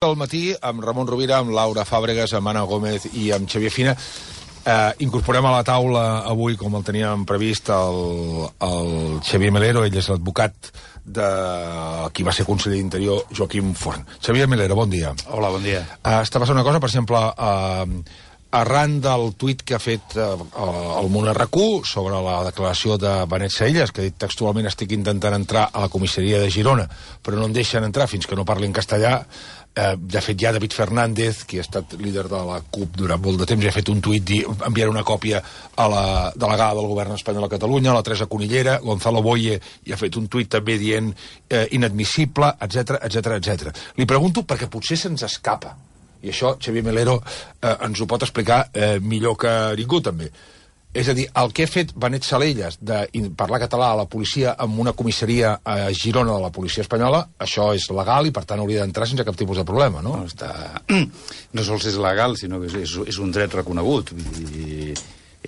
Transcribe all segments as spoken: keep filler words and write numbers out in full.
Al matí, amb Ramon Rovira, amb Laura Fàbregas, amb Anna Gómez i amb Xavier Fina. Eh, incorporem a la taula avui, com el teníem previst, el, el Xavier Melero. Ell és l'advocat de qui va ser conseller d'Interior, Joaquim Forn. Xavier Melero, bon dia. Hola, bon dia. Eh, està passant una cosa, per exemple, eh, arran del tuit que ha fet eh, el Món R Q sobre la declaració de Benet Salellas, que ha dit textualment: estic intentant entrar a la comissaria de Girona, però no em deixen entrar fins que no parli en castellà. Eh, de fet, ja David Fernández, qui ha estat líder de la CUP durant molt de temps, ja ha fet un tuit di, enviar una còpia a la delegada del govern espanyol a Catalunya, la Teresa Cunillera. Gonzalo Boye ja ha fet un tuit també dient eh, inadmissible, etcètera, etcètera, etcètera. Li pregunto perquè potser se'ns escapa, i això Xavier Melero eh, ens ho pot explicar eh, millor que ningú, també. És a dir, el que ha fet Benet Salellas de parlar català a la policia en una comissaria a Girona de la policia espanyola, això és legal i, per tant, hauria d'entrar sense cap tipus de problema, no? No, està... no sols és legal, sinó que és, és un dret reconegut. Vull dir,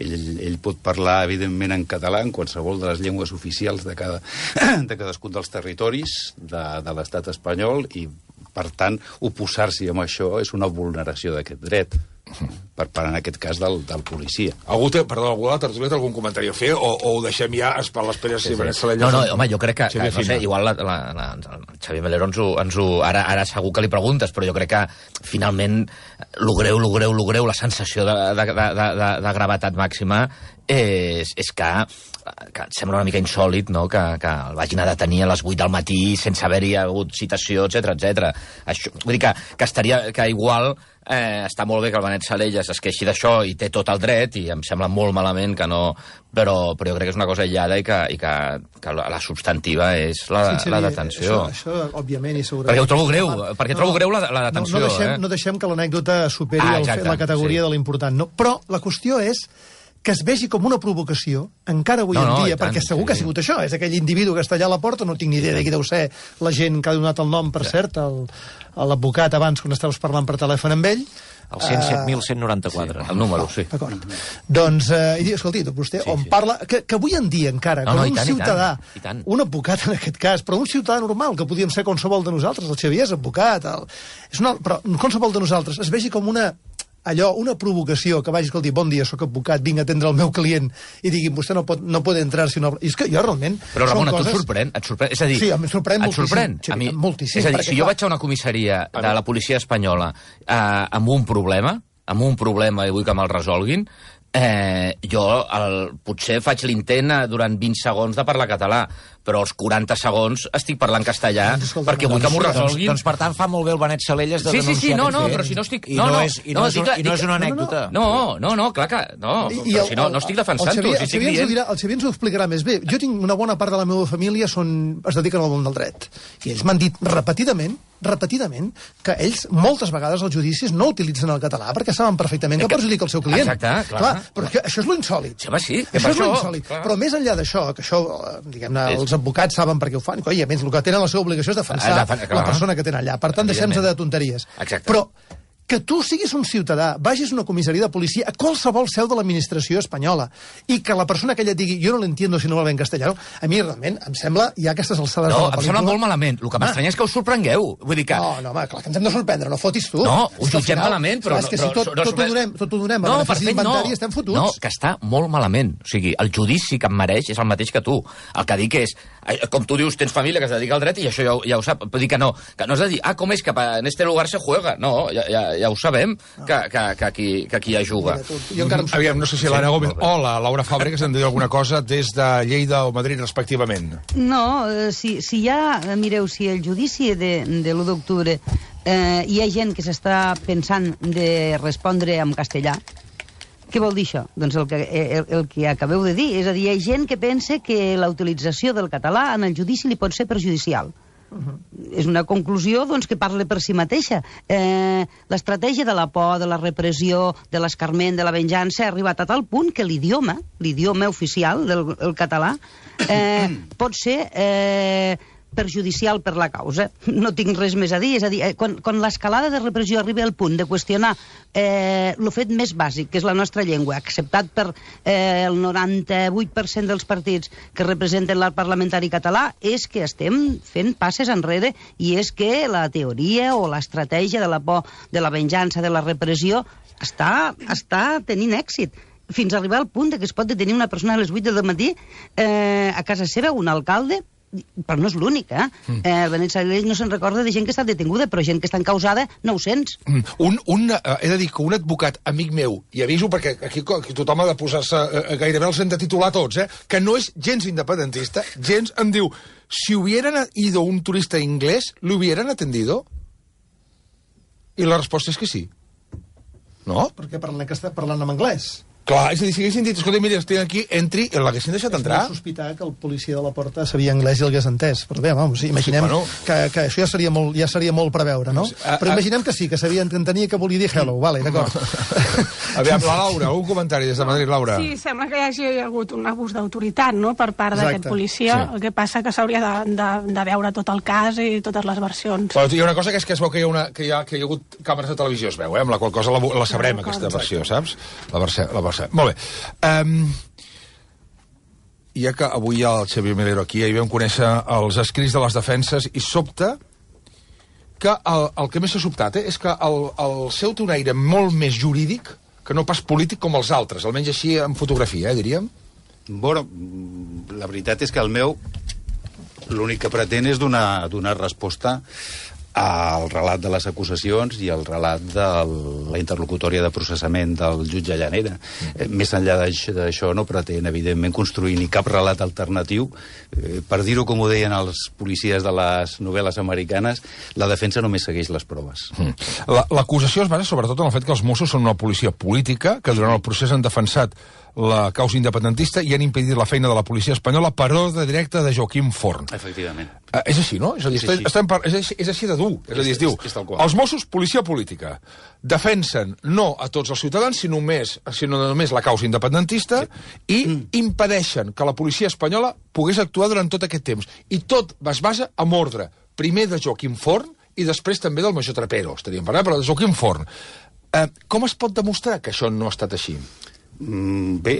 ell, ell pot parlar, evidentment, en català, en qualsevol de les llengües oficials de, cada, de cadascun dels territoris de, de l'estat espanyol, i, per tant, oposar-s'hi amb això és una vulneració d'aquest dret. Per, per en aquest cas del, del policia. Algú té, perdó, algú de la tertúlia té algun comentari a fer o, o ho deixem ja per l'espera si sí, Benet Salellas... No, no, home, jo crec que, que no sé, igual la, la, la, el Xavier Melero ens ho, ens ho ara, ara segur que li preguntes, però jo crec que finalment lo greu, lo greu, lo greu, la sensació de, de, de, de, de gravetat màxima és, és que, que sembla una mica insòlit, no?, que, que el vagin a detenir a les vuit del matí sense haver-hi hagut citació, etcètera, etcètera. Això, vull dir que, que estaria, que igual eh, està molt bé que el Benet Salellas es queixi d'això i té tot el dret, i em sembla molt malament que no... Però, però jo crec que és una cosa aïllada i que, i que, que la substantiva és la, sí, la detenció. Això, això, òbviament, i segurament... Perquè ho trobo greu, perquè no, trobo greu la, la detenció. No, no, deixem, eh? no deixem que l'anècdota superi ah, exacte, el, la categoria sí. de l'important. No? Però la qüestió és que es vegi com una provocació, encara avui no, en dia, no, perquè tant, segur sí. que ha sigut això, és aquell individu que està allà a la porta, no tinc ni idea de qui deu ser la gent que ha donat el nom, per sí. cert, l'advocat abans, quan estaves parlant per telèfon amb ell. El cent set mil cent noranta-quatre, sí, el número, sí. D'acord. Doncs, eh, escolti, vostè, sí, on sí. parla... Que, que avui en dia, encara, no, no, un tant, ciutadà, i tant, i tant. un advocat en aquest cas, però un ciutadà normal, que podíem ser qualsevol de nosaltres, el Xavier és advocat, el, és una, però qualsevol de nosaltres, es vegi com una... allò, una provocació, que vagi, escolti, bon dia, sóc advocat, vinc a atendre el meu client, i diguin, vostè no pot, no pot entrar si no... I és que jo realment... Però, Ramon, coses... et sorprèn? Et sorprèn? És a dir... Sí, em sorprèn et moltíssim. Sorprèn? Sí, a mi... moltíssim. És a dir, perquè, si jo clar... vaig a una comissaria de la policia espanyola eh, amb un problema, amb un problema i vull que me'l resolguin, eh, jo el, potser faig l'intent durant vint segons de parlar català, però als quaranta segons estic parlant castellà Escolta, perquè vull que m'ho resolguin. Doncs, doncs, per tant, fa molt bé el Benet Salellas de sí, sí, sí, no, no, fet. però si no estic... I no, no, no, és, i no, no, és, i no és una anècdota. No, no, no, clar que... No, I, però el, si no, no estic defensant-ho, si estic dient... El Xavier ens ho explicarà més bé. Jo tinc una bona part de la meva família són, es dediquen al món del dret. I ells m'han dit repetidament, repetidament, que ells moltes vegades als judicis no utilitzen el català perquè saben perfectament que, que perjudica el seu client. Exacte, clar. clar però que això és l'insòlit. Sí, home, sí, això és l'insòlit. Però més enllà d'això, que això, diguem-ne, els advocats saben per què ho fan, i a més el que tenen la seva obligació és defensar la persona que tenen allà. Per tant, deixem-nos de tonteries. Exacte. Però que tu siguis un ciutadà, vagis a una comissaria de policia, a qualsevol seu de l'administració espanyola, i que la persona que ella et digui jo no l'entiendo si no la ve en castellano, a mi realment em sembla, hi ha aquestes alçades no, de la pel·lícula... No, em sembla molt malament. El que m'estranya és que us sorprengueu. Vull dir que... No, no, home, clar que ens hem de sorprendre, no fotis tu. No, ho jutgem malament, però... És que si tot, tot, ho donem, tot ho donem a no, benefici d'inventari no. estem fotuts. No, que està molt malament. O sigui, el judici que em mereix és el mateix que tu. El que dic és, com tu dius, tens família que es dedica al dret i això ja, ja ho sap. Però dic que no, que no és de dir, ah, com és que en este lugar se juega? No, ja, ja, ja ho sabem. Que, que, que, aquí, que aquí ja juga. Mira, tu, Aviam, no sé si l'Anna Gómez o la Laura Fàbregas han de dir alguna cosa des de Lleida o Madrid, respectivament. No, si, si hi ha, mireu, si el judici de, de l'u d'octubre eh, hi ha gent que s'està pensant de respondre en castellà, què vol dir això? Doncs el que, el, el que acabeu de dir, és a dir, hi ha gent que pensa que la utilització del català en el judici li pot ser perjudicial. Uh-huh. És una conclusió doncs, que parla per si mateixa. Eh, l'estratègia de la por, de la repressió, de l'escarment, de la venjança ha arribat a tal punt que l'idioma, l'idioma oficial del el català, eh, pot ser... Eh, perjudicial per la causa. No tinc res més a dir. És a dir, quan, quan l'escalada de repressió arriba al punt de qüestionar eh, el fet més bàsic, que és la nostra llengua, acceptat per eh, el noranta-vuit per cent dels partits que representen l'art parlamentari català, és que estem fent passes enrere i és que la teoria o l'estratègia de la por, de la venjança, de la repressió, està, està tenint èxit. Fins a arribar al punt de que es pot detenir una persona a les vuit del matí eh, a casa seva, un alcalde, però no és l'únic, eh? Mm. eh Benet Salellas no se'n recorda de gent que està detinguda, però gent que està encausada, nou-cents. Mm. Un, un, eh, he de dir que un advocat amic meu, i aviso perquè aquí, aquí tothom ha de posar-se, eh, gairebé els hem de titular tots, eh, que no és gens independentista, gens em diu, si hubieran ido un turista inglés, ¿lo hubieran atendido? I la resposta és que sí. No? Perquè parlant, que està parlant en anglès. Clar, és a dir, si haguessin dit, escolta, mira, estic aquí, entri, l'haguessin deixat entrar. És molt sospitar que el policia de la porta sabia anglès i el hagués entès. Però bé, vamos, sí, imaginem sí, bueno. que, que això ja seria molt, ja seria molt preveure, no? A, però imaginem que sí, que sabia entenia que volia dir hello, vale, d'acord. Aviam, la Laura, algun comentari des de Madrid, Laura? Sí, sembla que hi hagi hagut un abús d'autoritat, no?, per part d'aquest policia, sí. El que passa que s'hauria de, de, de veure tot el cas i totes les versions. Però hi ha una cosa que és que es veu que hi ha, una, que hi ha, que hi ha hagut càmeres de televisió, es veu, eh? Amb la qual cosa la, la sabrem, no, aquesta versió, saps? La versió, la versió. Molt bé. Um, ja que avui hi ha el Xavier Melero aquí, ahir vam conèixer els escrits de les defenses i sobta que el, el que més s'ha sobtat eh, és que el, el seu té un aire molt més jurídic que no pas polític com els altres, almenys així en fotografia, eh, diríem. Bueno, la veritat és que el meu l'únic que pretén és donar, donar resposta al relat de les acusacions i al relat de la interlocutòria de processament del jutge Llanera. Mm. Més enllà d'això no pretén, evidentment, construir ni cap relat alternatiu. Eh, per dir-ho com ho deien els policies de les novel·les americanes, la defensa només segueix les proves. Mm. L'acusació es basa sobretot en el fet que els Mossos són una policia política, que durant el procés han defensat la causa independentista i han impedit la feina de la policia espanyola per ordre directe de Joaquim Forn. Efectivament. Uh, és així, no? És, a dir, és, així. Estem, és, així, és així de dur. És, és a dir, es diu, és, és els Mossos, policia política, defensen no a tots els ciutadans, sinó només, sinó només la causa independentista sí. i mm. impedeixen que la policia espanyola pogués actuar durant tot aquest temps. I tot es basa en ordre, primer de Joaquim Forn i després també del major Trapero, estaríem parlant, però de Joaquim Forn. Uh, com es pot demostrar que això no ha estat així? Mm, bé,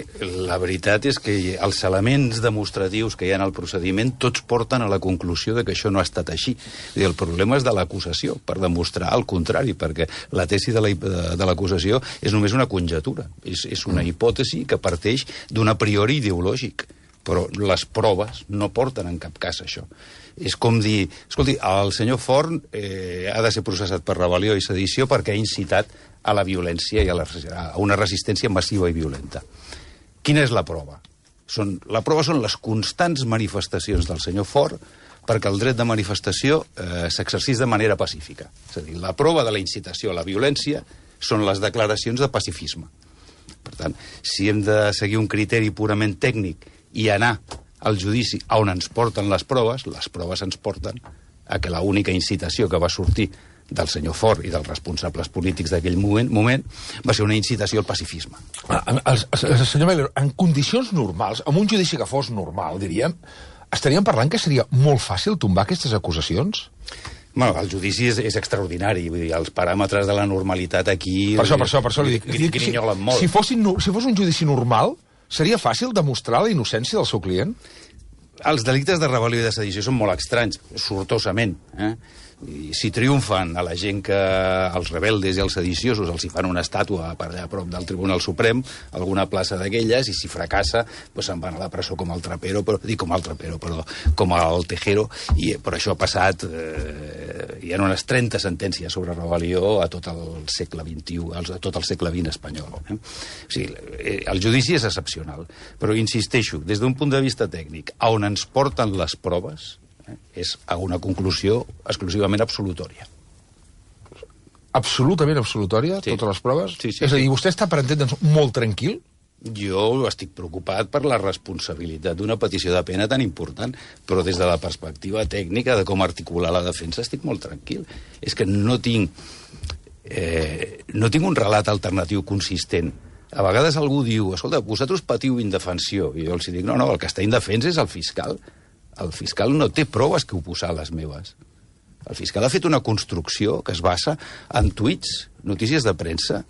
la veritat és que els elements demostratius que hi ha en el procediment tots porten a la conclusió de que això no ha estat així. I el problema és de l'acusació, per demostrar el contrari, perquè la tesi de l'acusació és només una conjetura, és, és una hipòtesi que parteix d'un a priori ideològic, però les proves no porten en cap cas això. És com dir, escolti, el senyor Forn eh, ha de ser processat per rebel·lió i sedició perquè ha incitat a la violència i a, la, a una resistència massiva i violenta. Quina és la prova? Són, la prova són les constants manifestacions del senyor Forn perquè el dret de manifestació eh, s'exercís de manera pacífica. És a dir, la prova de la incitació a la violència són les declaracions de pacifisme. Per tant, si hem de seguir un criteri purament tècnic i anar al judici on ens porten les proves, les proves ens porten a que l'única incitació que va sortir del senyor Forn i dels responsables polítics d'aquell moment, moment va ser una incitació al pacifisme. Ah, el, el, el senyor Melero, en condicions normals, amb un judici que fos normal, diríem, estaríem parlant que seria molt fàcil tombar aquestes acusacions? Bueno, el judici és, és extraordinari, vull dir, els paràmetres de la normalitat aquí... Per això, per això, per això li dic. Gri, grinyolen molt. Si, fossin, si fos un judici normal, seria fàcil demostrar la innocència del seu client? Els delictes de rebel·lió i de sedició són molt estranys, sortosament, eh? I si triomfen a la gent que els rebeldes i els sediciosos els hi fan una estàtua per allà a prop del Tribunal Suprem, alguna plaça d'aquelles, i si fracassa, doncs se'n van a la presó com el Trapero, però, dic com el Trapero, però com el Tejero, i per això ha passat, eh, hi ha unes trenta sentències sobre rebel·lió a tot el segle vint-i-u, a tot el segle vint espanyol. Eh? O sigui, el judici és excepcional, però insisteixo, des d'un punt de vista tècnic, on ens porten les proves, és a una conclusió exclusivament absolutòria. Absolutament absolutòria, sí. Totes les proves? Sí, sí, és a dir, sí. Vostè està, per entendre'ns, molt tranquil? Jo estic preocupat per la responsabilitat d'una petició de pena tan important, però des de la perspectiva tècnica de com articular la defensa estic molt tranquil. És que no tinc, eh, no tinc un relat alternatiu consistent. A vegades algú diu, escolta, vosaltres patiu indefensió, i jo els dic, no, no, el que està indefens és el fiscal. el fiscal no té proves que oposar a les meves. El fiscal ha fet una construcció que es basa en tuits, notícies de premsa,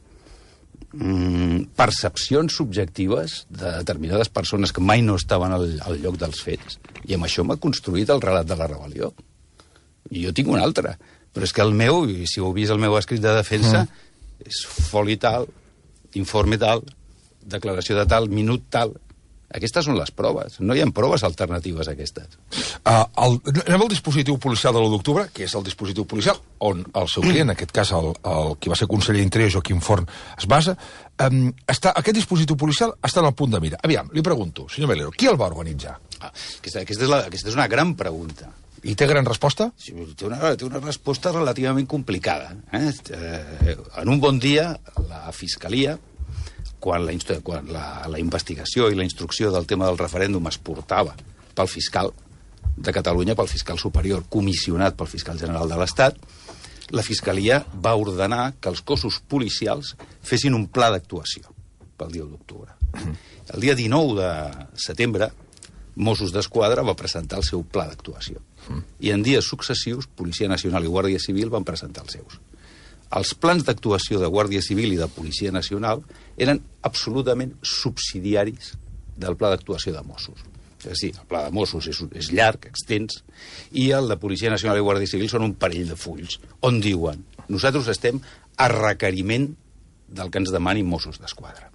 mmm, percepcions subjectives de determinades persones que mai no estaven al, al lloc dels fets. I amb això m'ha construït el relat de la rebel·lió. I jo tinc un altre. Però és que el meu, i si heu vist el meu escrit de defensa, mm. és foli tal, informe tal, declaració de tal, minut tal. Aquestes són les proves. No hi ha proves alternatives a aquestes. Uh, el, anem al dispositiu policial de l'u d'octubre, que és el dispositiu policial on el seu client, en aquest cas el, el qui va ser conseller d'Interior, Joaquim Forn, es basa. Um, està, aquest dispositiu policial està en el punt de mira. Aviam, li pregunto, senyor Melero, qui el va organitzar? Ah, aquesta, aquesta, és la, aquesta és una gran pregunta. I té gran resposta? Sí, té una, té una resposta relativament complicada. Eh? Eh, en un bon dia, la Fiscalia, quan, la, quan la, la investigació i la instrucció del tema del referèndum es portava pel fiscal de Catalunya, pel fiscal superior, comissionat pel fiscal general de l'Estat, la Fiscalia va ordenar que els cossos policials fessin un pla d'actuació pel dia u d'octubre. El dia dinou de setembre, Mossos d'Esquadra va presentar el seu pla d'actuació. I en dies successius, Policia Nacional i Guàrdia Civil van presentar els seus. Els plans d'actuació de Guàrdia Civil i de Policia Nacional eren absolutament subsidiaris del pla d'actuació de Mossos. És a dir, el pla de Mossos és, és llarg, extens, i el de Policia Nacional i Guàrdia Civil són un parell de fulls, on diuen nosaltres estem a requeriment del que ens demanin Mossos d'Esquadra.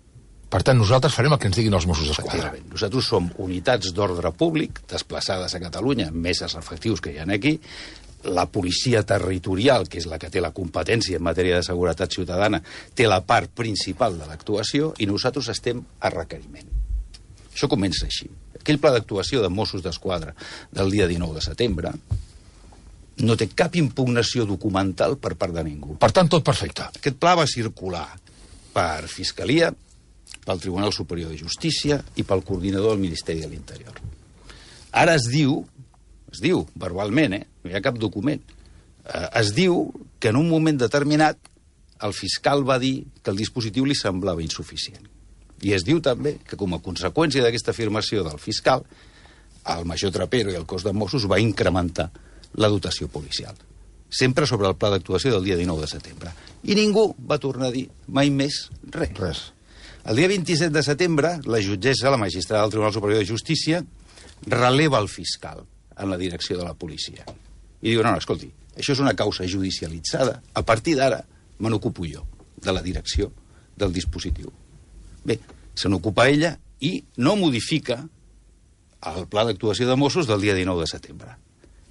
Per tant, nosaltres farem el que ens diguin els Mossos d'Esquadra. Nosaltres som unitats d'ordre públic desplaçades a Catalunya, més els efectius que hi ha aquí, la policia territorial, que és la que té la competència en matèria de seguretat ciutadana, té la part principal de l'actuació i nosaltres estem a requeriment. Això comença així. Aquell pla d'actuació de Mossos d'Esquadra del dia dinou de setembre no té cap impugnació documental per part de ningú. Per tant, tot perfecte. Aquest pla va circular per Fiscalia, pel Tribunal Superior de Justícia i pel coordinador del Ministeri de l'Interior. Ara es diu, es diu verbalment, eh? No hi ha cap document, eh, es diu que en un moment determinat el fiscal va dir que el dispositiu li semblava insuficient. I es diu també que com a conseqüència d'aquesta afirmació del fiscal, el major Trapero i el cos de Mossos va incrementar la dotació policial. Sempre sobre el pla d'actuació del dia dinou de setembre. I ningú va tornar a dir mai més res. Res. El dia vint-i-set de setembre, la jutgessa, la magistrada del Tribunal Superior de Justícia, releva el fiscal en la direcció de la policia. I diu, no, no, escolti, això és una causa judicialitzada. A partir d'ara me n'ocupo jo, de la direcció del dispositiu. Bé, se n'ocupa ella i no modifica el pla d'actuació de Mossos del dia dinou de setembre.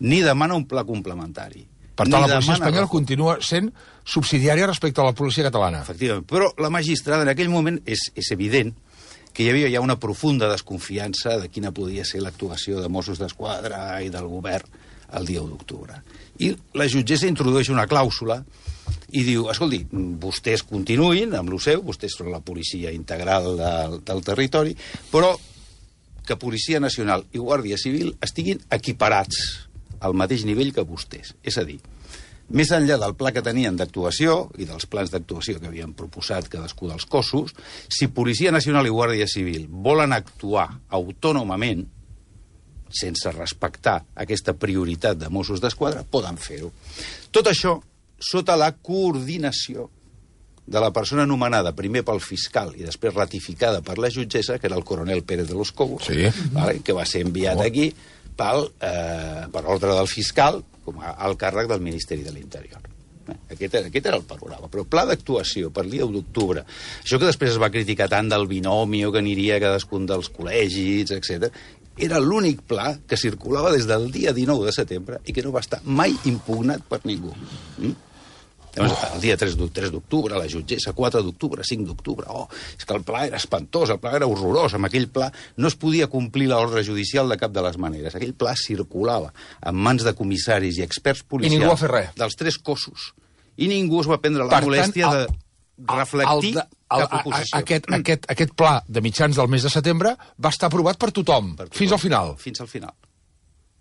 Ni demana un pla complementari. Per tant, la policia espanyola continua sent subsidiària respecte a la policia catalana. Efectivament, però la magistrada en aquell moment és, és evident que hi havia ja una profunda desconfiança de quina podia ser l'actuació de Mossos d'Esquadra i del govern el dia u d'octubre. I la jutgessa introdueix una clàusula i diu, escolti, vostès continuïn amb el seu, vostès són la policia integral del, del territori, però que Policia Nacional i Guàrdia Civil estiguin equiparats al mateix nivell que vostès. És a dir, més enllà del pla que tenien d'actuació i dels plans d'actuació que havien proposat cadascú dels cossos, si Policia Nacional i Guàrdia Civil volen actuar autònomament, sense respectar aquesta prioritat de Mossos d'Esquadra, poden fer-ho. Tot això sota la coordinació de la persona anomenada primer pel fiscal i després ratificada per la jutgessa, que era el coronel Pérez de los Cobos, sí. Vale, que va ser enviat oh. aquí pel, eh, per ordre del fiscal com a alt càrrec del Ministeri de l'Interior. Eh, aquest, aquest era el panorama. Però pla d'actuació per dia u d'octubre, això que després es va criticar tant del binomio que aniria a cadascun dels col·legis, etcètera, era l'únic pla que circulava des del dia dinou de setembre i que no va estar mai impugnat per ningú. Mm? Llavors, el dia tres d'octubre, la jutgessa, quatre d'octubre, cinc d'octubre, oh, és que el pla era espantós, el pla era horrorós, amb aquell pla no es podia complir l'ordre judicial de cap de les maneres. Aquell pla circulava en mans de comissaris i experts policials. I ningú va fer res. Dels tres cossos. I ningú es va prendre la per molèstia tant, el, de reflectir el, el, cap oposició. Aquest, aquest, aquest pla de mitjans del mes de setembre va estar aprovat per tothom, per tothom, fins al final. Fins al final.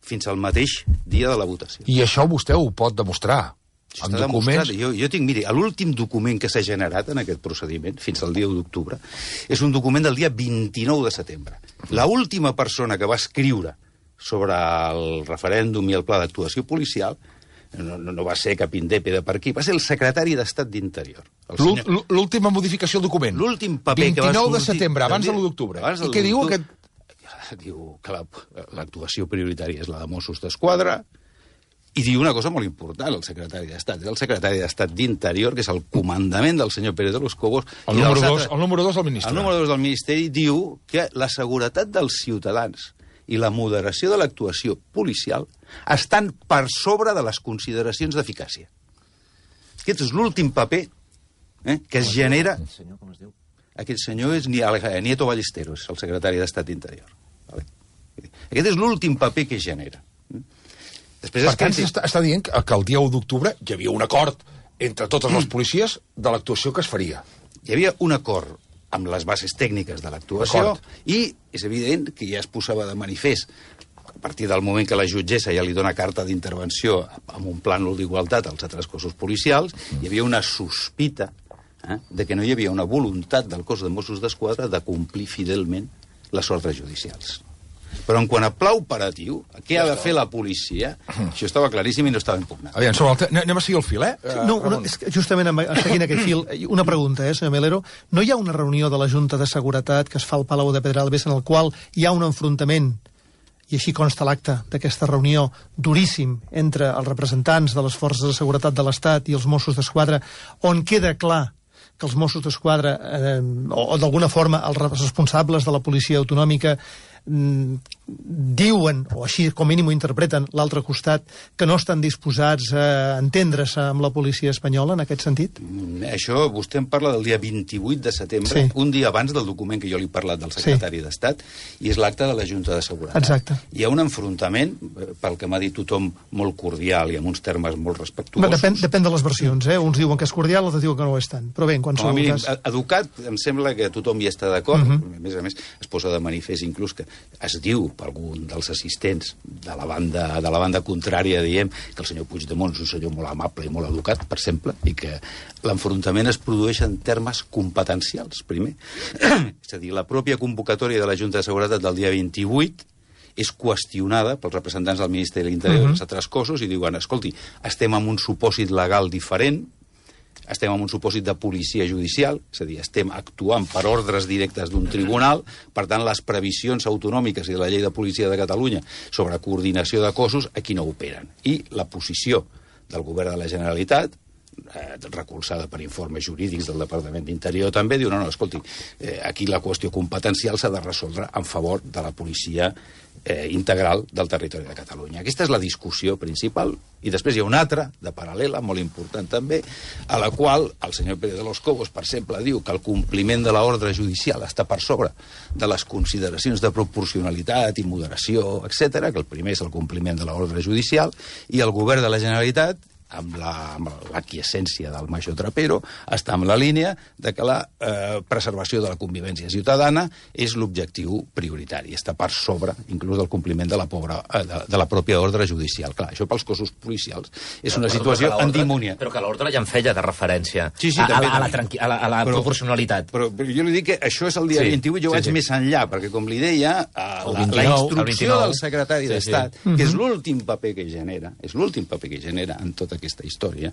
Fins al mateix dia de la votació. I això vostè ho pot demostrar. Això està demostrat. Jo, jo tinc, miri, l'últim document que s'ha generat en aquest procediment, fins al dia u d'octubre, és un document del dia vint-i-nou de setembre. La última persona que va escriure sobre el referèndum i el pla d'actuació policial no, no, no va ser cap indèpede per aquí, va ser el secretari d'Estat d'Interior. Senyor... L'última modificació del document. L'últim paper que va sortir... vint-i-nou de setembre, abans de l'u d'octubre. I què diu aquest... Diu que l'actuació prioritària és la de Mossos d'Esquadra, i diu una cosa molt important, el secretari d'Estat. És el secretari d'Estat d'Interior, que és el comandament del senyor Pérez de los Cobos. El número dos, el número dos del Ministeri. El número dos del Ministeri diu que la seguretat dels ciutadans i la moderació de l'actuació policial estan per sobre de les consideracions d'eficàcia. Aquest és l'últim paper eh, que es genera... Aquest senyor és Nieto Ballesteros, el secretari d'Estat d'Interior. Vale? Aquest és l'últim paper que es genera. Després per tant, s'està està dient que el dia u d'octubre hi havia un acord entre totes les policies de l'actuació que es faria. Hi havia un acord amb les bases tècniques de l'actuació i és evident que ja es posava de manifest a partir del moment que la jutgessa ja li dona carta d'intervenció amb un plànol d'igualtat als altres cossos policials, hi havia una sospita eh, de que no hi havia una voluntat del cos de Mossos d'Esquadra de complir fidelment les ordres judicials. Però en quant a pla operatiu, què ha de fer la policia? Això estava claríssim i no estava impugnat. Aviam, sobre el anem a seguir el fil, eh? No, no és que justament seguint aquest fil, una pregunta, eh, senyor Melero. No hi ha una reunió de la Junta de Seguretat que es fa al Palau de Pedralbes en el qual hi ha un enfrontament, i així consta l'acte d'aquesta reunió, duríssim entre els representants de les forces de seguretat de l'Estat i els Mossos d'Esquadra, on queda clar que els Mossos d'Esquadra, eh, o, o d'alguna forma els responsables de la policia autonòmica, diuen, o així com a mínim ho interpreten, l'altre costat, que no estan disposats a entendre's amb la policia espanyola en aquest sentit? Això, vostè em parla del dia vint-i-vuit de setembre, sí. Un dia abans del document que jo li he parlat del secretari sí. d'Estat, i és l'acte de la Junta de Seguretat. Exacte. Hi ha un enfrontament, pel que m'ha dit tothom, molt cordial i amb uns termes molt respectuosos. Depèn, depèn de les versions, eh? Uns diuen que és cordial, altres diuen que no ho és tant. Però bé, en qualsevol no, cas... Educat, em sembla que tothom hi està d'acord. Uh -huh. A més a més, es posa de manifest inclús que es diu per algun dels assistents de la banda, de la banda contrària, diem, que el senyor Puigdemont és un senyor molt amable i molt educat, per exemple, i que l'enfrontament es produeix en termes competencials, primer. És a dir, la pròpia convocatòria de la Junta de Seguretat del dia vint-i-vuit és qüestionada pels representants del Ministeri de l'Interior uh -huh. i dels altres cossos i diuen, escolti, estem en un supòsit legal diferent, estem en un supòsit de policia judicial, és a dir, estem actuant per ordres directes d'un tribunal, per tant, les previsions autonòmiques i de la llei de policia de Catalunya sobre coordinació de cossos aquí no operen. I la posició del govern de la Generalitat, eh, recolzada per informes jurídics del Departament d'Interior també, diu, no, no, escolti, eh, aquí la qüestió competencial s'ha de resoldre en favor de la policia eh, integral del territori de Catalunya. Aquesta és la discussió principal. I després hi ha una altra, de paral·lela, molt important també, a la qual el senyor Pérez de los Cobos, per exemple, diu que el compliment de l'ordre judicial està per sobre de les consideracions de proporcionalitat i moderació, etcètera, que el primer és el compliment de l'ordre judicial, i el govern de la Generalitat, amb l'aquiescència la, del major Trapero, està en la línia de que la eh, preservació de la convivència ciutadana és l'objectiu prioritari. Està per sobre, inclús, del compliment de la, pobra, eh, de, de la pròpia ordre judicial. Clar, això pels cossos policials és una situació antimònia. Però que l'ordre ja en feia de referència sí, sí, a, també, a, a, la, a la, a la però, proporcionalitat. Però, però jo li dic que això és el dia sí, vint-i-vuit, jo sí, vaig sí. més enllà, perquè, com li deia, eh, la, la instrucció del secretari sí, d'Estat, sí. que és l'últim paper que genera, és l'últim paper que genera en tota aquesta història,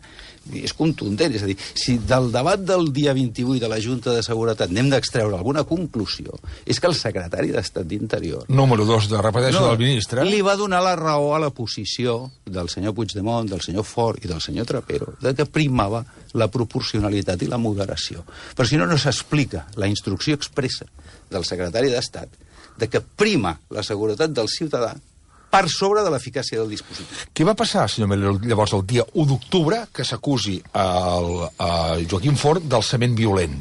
és contundent. És a dir, si del debat del dia vint-i-vuit de la Junta de Seguretat n'hem d'extreure alguna conclusió, és que el secretari d'Estat d'Interior... Número dos, de repeteixo, no, del ministre... li va donar la raó a la posició del senyor Puigdemont, del senyor Fort i del senyor Trapero, de que primava la proporcionalitat i la moderació. Però si no, no s'explica la instrucció expressa del secretari d'Estat de que prima la seguretat del ciutadà per sobre de l'eficàcia del dispositiu. Què va passar, senyor Melero, llavors el dia u d'octubre que s'acusi a Joaquim Fort d'alçament violent?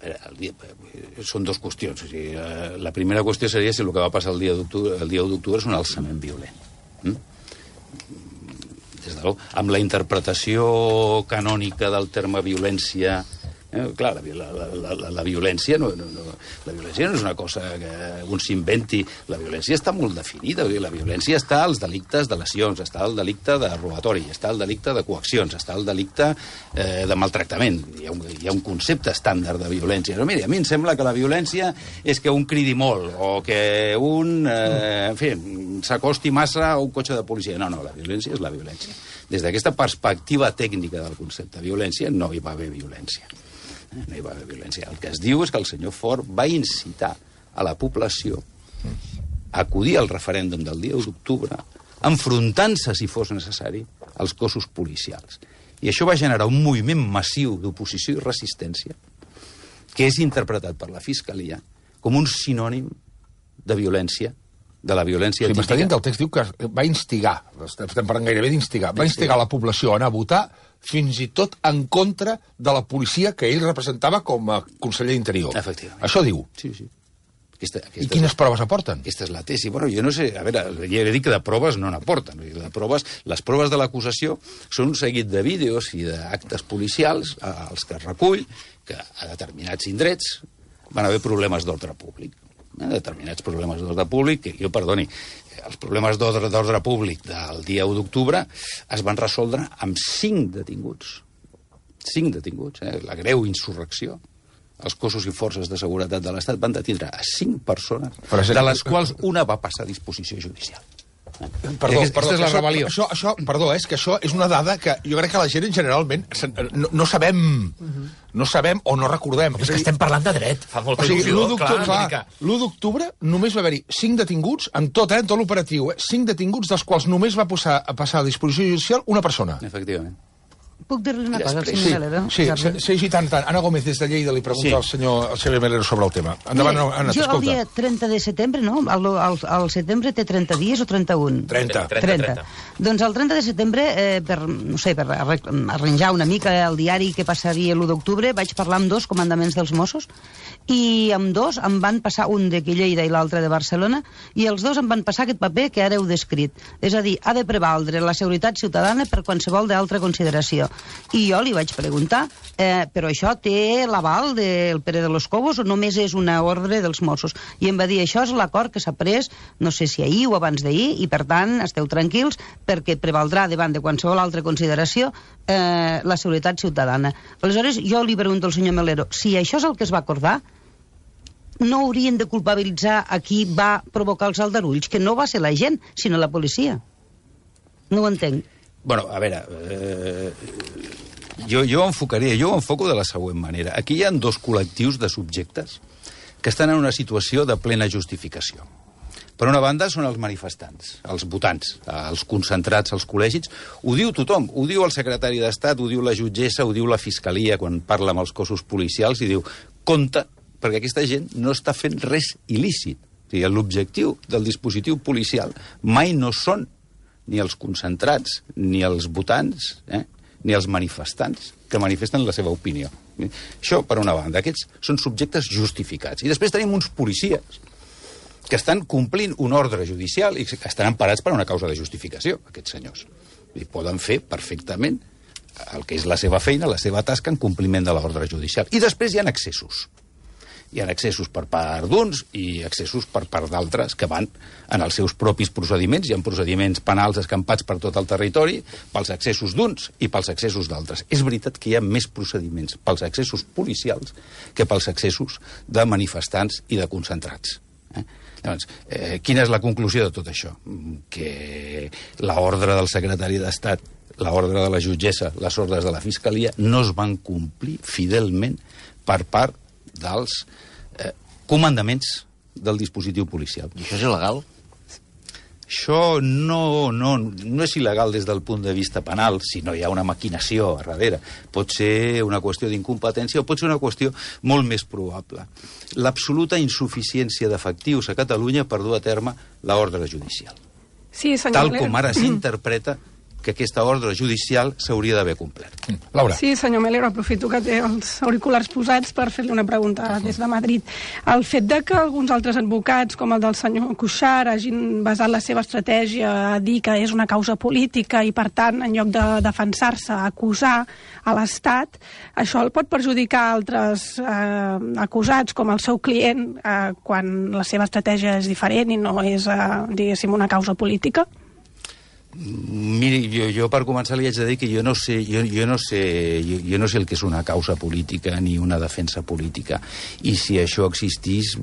El dia, són dues qüestions. O sigui, la primera qüestió seria si el que va passar el dia d'octubre el dia u d'octubre és un alçament violent. Mm? Des de amb la interpretació canònica del terme violència Eh, clar, la, la, la, la, la violència no, no, no, la violència no és una cosa que un s'inventi. La violència està molt definida. La violència està als delictes de lesions, està al delicte de robatori, està al delicte de coaccions, està al delicte eh, de maltractament. Hi ha, un, hi ha un concepte estàndard de violència. Però mira, a mi em sembla que la violència és que un cridi molt o que un eh, en fi, s'acosti massa a un cotxe de policia. No, no, la violència és la violència. Des d'aquesta perspectiva tècnica del concepte de violència no hi va haver violència. No hi va haver violència. El que es diu és que el senyor Fort va incitar a la població a acudir al referèndum del dia u d'octubre, enfrontant-se, si fos necessari, als cossos policials. I això va generar un moviment massiu d'oposició i resistència que és interpretat per la Fiscalia com un sinònim de violència, de la violència típica. Sí, m'està dient que el text diu que va instigar, estem parlant gairebé d'instigar, va instigar la població a anar a votar fins i tot en contra de la policia que ell representava com a conseller d'Interior. Efectivament. Això diu. Sí, sí. Aquesta, aquesta I quines la, proves aporten? Aquesta és la tesi. Bueno, jo no sé, a veure, ja he dit que de proves no n'aporten. De proves, les proves de l'acusació són un seguit de vídeos i d'actes policials als que es recull que a determinats indrets van haver problemes d'ordre públic. Eh, determinats problemes d'ordre públic, que jo, perdoni, els problemes d'ordre públic del dia u d'octubre es van resoldre amb cinc detinguts. Cinc detinguts, eh? La greu insurrecció. Els cossos i forces de seguretat de l'Estat van detindre a cinc persones, de les quals una va passar a disposició judicial. Perdó, aquesta, perdó, és la això, rebel·lió. Això, això, perdó, és que això és una dada que jo crec que la gent generalment no, no sabem no sabem o no recordem. És que estem parlant de dret, fa molta o sigui, il·lusió. l'u d'octubre només va haver-hi cinc detinguts, en tot, eh, en tot l'operatiu, eh, cinc detinguts, dels quals només va passar a passar a disposició judicial una persona. Efectivament. Puc dir-li una cosa al Després, senyor sí, Melero? Sí, sí, sí, sí, tant, tant. Ana Gómez, des de Lleida, li pregunta Sí. al senyor, al senyor Melero sobre el tema. Endavant, Ana, jo el t'escolta. dia trenta de setembre, no? El, el, el setembre té trenta dies o trenta-un? trenta. trenta. Doncs el trenta de setembre, eh, per, no sé, per arranjar una mica el diari que passaria l'u d'octubre, vaig parlar amb dos comandaments dels Mossos, i amb dos em van passar, un de Lleida i l'altre de Barcelona, i els dos em van passar aquest paper que ara heu descrit. És a dir, ha de prevaldre la seguretat ciutadana per qualsevol d'altra consideració. I jo li vaig preguntar, eh, però això té l'aval del Pere de los Cobos o només és una ordre dels Mossos? I em va dir, això és l'acord que s'ha pres, no sé si ahir o abans d'ahir, i per tant esteu tranquils perquè prevaldrà davant de qualsevol altra consideració eh, la seguretat ciutadana. Aleshores, jo li pregunto al senyor Melero, si això és el que es va acordar, no haurien de culpabilitzar a qui va provocar els aldarulls, que no va ser la gent, sinó la policia. No ho entenc. Bueno, a veure, eh, jo, jo enfocaria, jo ho enfoco de la següent manera. Aquí hi ha dos col·lectius de subjectes que estan en una situació de plena justificació. Per una banda són els manifestants, els votants, els concentrats als col·legis. Ho diu tothom, ho diu el secretari d'Estat, ho diu la jutgessa, ho diu la Fiscalia quan parla amb els cossos policials i diu, compte, perquè aquesta gent no està fent res il·lícit. O sigui, l'objectiu del dispositiu policial mai no són ni els concentrats, ni els votants, eh? ni els manifestants que manifesten la seva opinió. Això, per una banda, aquests són subjectes justificats. I després tenim uns policies que estan complint un ordre judicial i que estan emparats per una causa de justificació, aquests senyors. I poden fer perfectament el que és la seva feina, la seva tasca en compliment de l'ordre judicial. I després hi ha excessos. Hi ha excessos per part d'uns i excessos per part d'altres que van en els seus propis procediments. Hi ha procediments penals escampats per tot el territori pels excessos d'uns i pels excessos d'altres. És veritat que hi ha més procediments pels excessos policials que pels excessos de manifestants i de concentrats. Eh? Llavors, eh, quina és la conclusió de tot això? Que l'ordre del secretari d'Estat, l'ordre de la jutgessa, les ordres de la Fiscalia no es van complir fidelment per part dels eh, comandaments del dispositiu policial. I això és il·legal? Això no, no, no és il·legal des del punt de vista penal, si no hi ha una maquinació a darrere. Pot ser una qüestió d'incompetència o pot ser una qüestió molt més probable. L'absoluta insuficiència d'efectius a Catalunya per dur a terme l'ordre judicial. Sí, senyor Tal Melero. com ara s'interpreta que aquesta ordre judicial s'hauria d'haver complert. Laura. Sí, senyor Melero, aprofito que té els auriculars posats per fer-li una pregunta des de Madrid. El fet de que alguns altres advocats, com el del senyor Cuixart, hagin basat la seva estratègia a dir que és una causa política i, per tant, en lloc de defensar-se, acusar a l'Estat, això el pot perjudicar a altres eh, acusats, com el seu client, eh, quan la seva estratègia és diferent i no és, eh, diguéssim, una causa política? Miri, jo, jo per començar li haig de dir que jo no sé, jo, jo no sé, jo, jo no sé el que és una causa política ni una defensa política, i si això existís,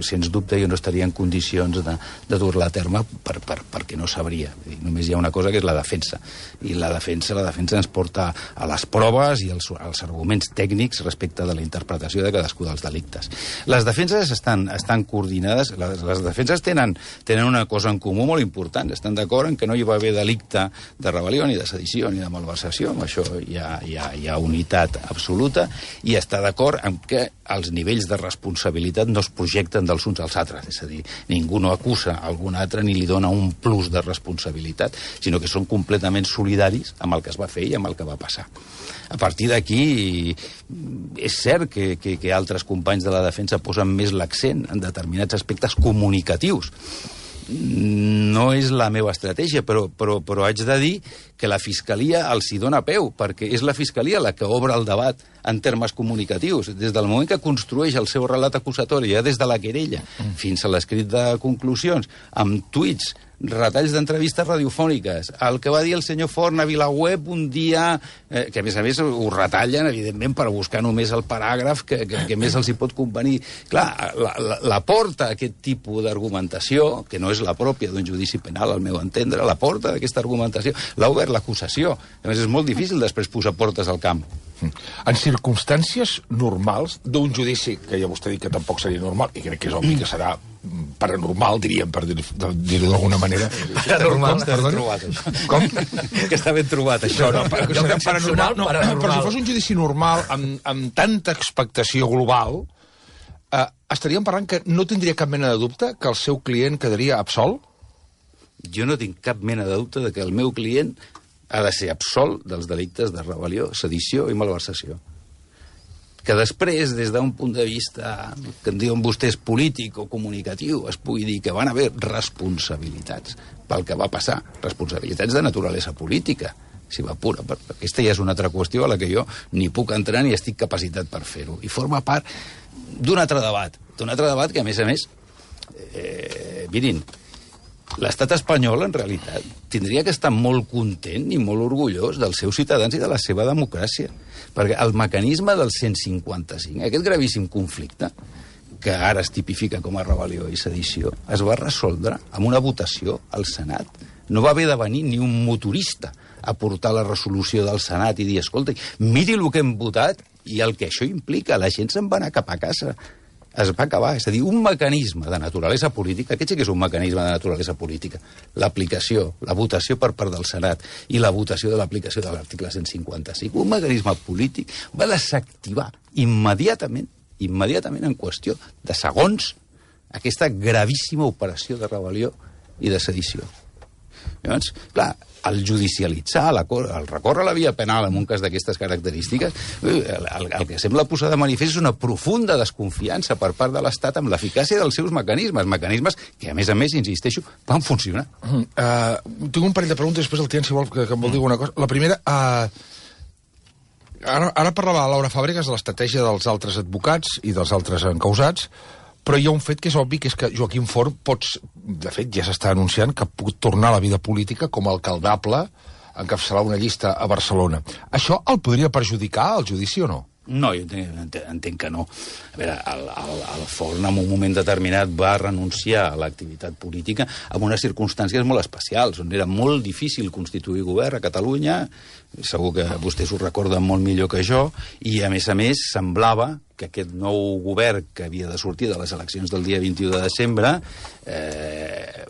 sens dubte jo no estaria en condicions de, de dur-la a terme per, per, perquè no sabria. Només hi ha una cosa que és la defensa, i la defensa, la defensa ens porta a les proves i als, als arguments tècnics respecte de la interpretació de cadascú dels delictes. Les defenses estan, estan coordinades, les, les defenses tenen, tenen una cosa en comú molt important, estan d'acord en que no hi va haver delicte de rebel·lió, ni de sedició, ni de malversació. Amb això hi ha, hi ha, hi ha unitat absoluta, i està d'acord en que els nivells de responsabilitat no es projecten dels uns als altres. És a dir, ningú no acusa algun altre ni li dona un plus de responsabilitat, sinó que són completament solidaris amb el que es va fer i amb el que va passar. A partir d'aquí, és cert que, que, que altres companys de la defensa posen més l'accent en determinats aspectes comunicatius. No és la meva estratègia, però, però, però haig de dir que la Fiscalia els hi dona peu, perquè és la Fiscalia la que obre el debat en termes comunicatius. Des del moment que construeix el seu relat acusatori, ja des de la querella fins a l'escrit de conclusions, amb tuits, retalls d'entrevistes radiofòniques, el que va dir el senyor Forn a VilaWeb un dia, eh, que a més a més ho retallen, evidentment, per buscar només el paràgraf que, que, que més els hi pot convenir. Clar, la, la, la porta a aquest tipus d'argumentació, que no és la pròpia d'un judici penal, al meu entendre, la porta d'aquesta argumentació l'ha obert l'acusació. A més, és molt difícil després posar portes al camp. En circumstàncies normals d'un judici, que ja vostè ha dit que tampoc seria normal, i crec que és obvi que serà paranormal, diríem, per dir-ho dir d'alguna manera. Paranormal, està ben trobat, això. Com? Que està ben trobat, això. No, no, per, no, paranormal, no, paranormal. Però si fos un judici normal, amb, amb tanta expectació global, eh, estaríem parlant que no tindria cap mena de dubte que el seu client quedaria absolt? Jo no tinc cap mena de dubte de que el meu client ha de ser absolt dels delictes de rebel·lió, sedició i malversació. Que després, des d'un punt de vista que en diuen vostès polític o comunicatiu, es pugui dir que van haver responsabilitats pel que va passar, responsabilitats de naturalesa política, si va pura. Aquesta ja és una altra qüestió a la que jo ni puc entrar ni estic capacitat per fer-ho. I forma part d'un altre debat, d'un altre debat que, a més a més, eh, mirin, l'estat espanyol, en realitat, tindria que estar molt content i molt orgullós dels seus ciutadans i de la seva democràcia. Perquè el mecanisme del cent cinquanta-cinc, aquest gravíssim conflicte, que ara es tipifica com a rebel·lió i sedició, es va resoldre amb una votació al Senat. No va haver de venir ni un motorista a portar la resolució del Senat i dir, escolta, miri el que hem votat i el que això implica. La gent se'n va anar cap a casa. Es va acabar. És a dir, un mecanisme de naturalesa política, aquest sí que és un mecanisme de naturalesa política, l'aplicació, la votació per part del Senat i la votació de l'aplicació de l'article cent cinquanta-cinc, un mecanisme polític va desactivar immediatament, immediatament en qüestió de segons, aquesta gravíssima operació de rebel·lió i de sedició. Llavors, clar, el judicialitzar, el recórrer a la via penal en un cas d'aquestes característiques, el, el, el que sembla posar de manifest és una profunda desconfiança per part de l'Estat amb l'eficàcia dels seus mecanismes, mecanismes que, a més a més, insisteixo, van funcionar. Uh, tinc un parell de preguntes, després el Tian, si vol, que, que em vol dir alguna cosa. La primera, uh, ara, ara parlava la Laura Fàbregas de l'estratègia dels altres advocats i dels altres encausats, però hi ha un fet que és obvi, que és que Joaquim Forn pots, de fet, ja s'està anunciant que pot tornar a la vida política com a alcaldable, encapçalar una llista a Barcelona. Això el podria perjudicar, el judici, o no? No, jo entenc, entenc que no. A veure, el, el, el Forn en un moment determinat va renunciar a l'activitat política en unes circumstàncies molt especials, on era molt difícil constituir govern a Catalunya, segur que vostès ho recorden molt millor que jo, i a més a més semblava que aquest nou govern que havia de sortir de les eleccions del dia vint-i-u de desembre eh,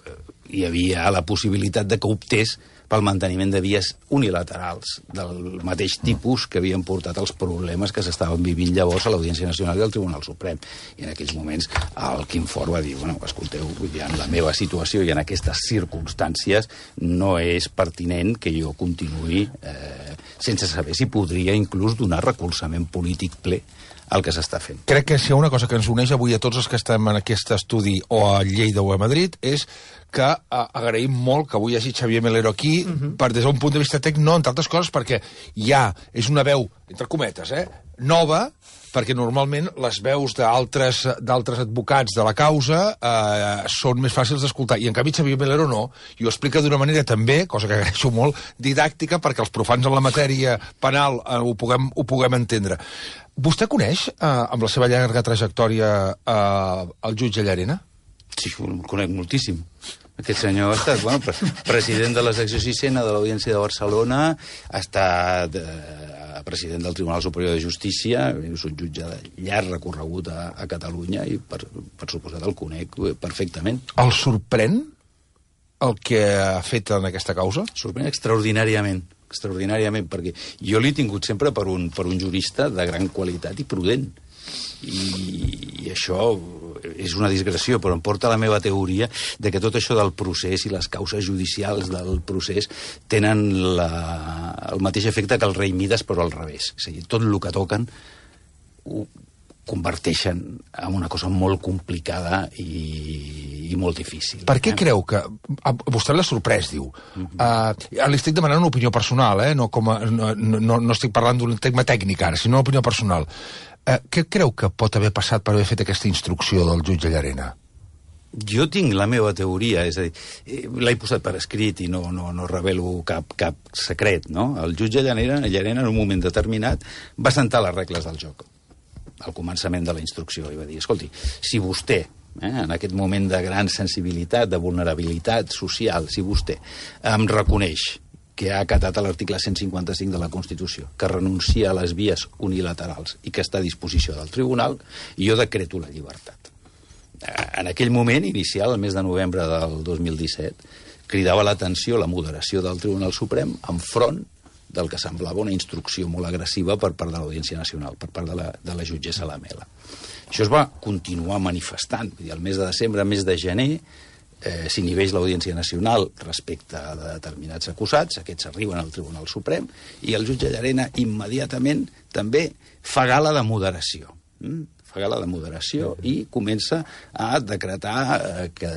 hi havia la possibilitat de que optés pel manteniment de vies unilaterals del mateix tipus que havien portat els problemes que s'estaven vivint llavors a l'Audiència Nacional i al Tribunal Suprem. I en aquells moments el Quim Forn va dir, bueno, escolteu, en la meva situació i en aquestes circumstàncies no és pertinent que jo continuï eh, sense saber si podria inclús donar recolzament polític ple el que s'està fent. Crec que si hi ha una cosa que ens uneix avui a tots els que estem en aquest estudi o a Lleida o a Madrid és que uh, agraïm molt que avui hi hagi Xavier Melero aquí, uh-huh. per des d'un punt de vista tècnic, no, entre altres coses, perquè ja és una veu, entre cometes, eh, nova, perquè normalment les veus d'altres d'altres advocats de la causa eh, són més fàcils d'escoltar, i en canvi Xavier Melero no, i ho explica d'una manera també, cosa que agraeixo molt, didàctica, perquè els profans en la matèria penal eh, ho, puguem, ho puguem entendre. Vostè coneix, eh, amb la seva llarga trajectòria, eh, el jutge Llarena? Sí, el conec moltíssim. Aquest senyor ha estat, bueno, president de la secció sisena de l'Audiència de Barcelona, ha estat eh, president del Tribunal Superior de Justícia, és un jutge de llarg recorregut a, a Catalunya i, per, per suposat, el conec perfectament. El sorprèn el que ha fet en aquesta causa? Sorprèn extraordinàriament, extraordinàriament, perquè jo l'he tingut sempre per un, per un jurista de gran qualitat i prudent. I, i això és una digressió, però em porta a la meva teoria de que tot això del procés i les causes judicials del procés tenen la, el mateix efecte que el rei Mides, però al revés. És a dir, tot el que toquen ho converteixen en una cosa molt complicada i, i molt difícil. Per què eh? creu que... A vostè l'ha sorprès, diu. Uh-huh. Uh, li estic demanant una opinió personal, eh? no, com a, no, no, no estic parlant d'un tema tècnic ara, sinó una opinió personal. Uh, què creu que pot haver passat per haver fet aquesta instrucció del jutge Llarena? Jo tinc la meva teoria, és a dir, l'he posat per escrit i no, no, no revelo cap, cap secret, no? El jutge Llarena, Llarena, en un moment determinat, va sentar les regles del joc al començament de la instrucció i va dir, escolti, si vostè, eh, en aquest moment de gran sensibilitat, de vulnerabilitat social, si vostè em reconeix que ha acatat a l'article cent cinquanta-cinc de la Constitució, que renuncia a les vies unilaterals i que està a disposició del tribunal, jo decreto la llibertat. En aquell moment inicial, el mes de novembre del dos mil disset, cridava l'atenció la moderació del Tribunal Suprem enfront del que semblava una instrucció molt agressiva per part de l'Audiència Nacional, per part de la, de la jutgessa Lamela. Això es va continuar manifestant. Vull dir, el mes de desembre, el mes de gener, eh, s'inhibeix l'Audiència Nacional respecte a determinats acusats, aquests arriben al Tribunal Suprem, i el jutge Llarena immediatament també fa gala de moderació. Mm? Fa gala de moderació i comença a decretar eh, que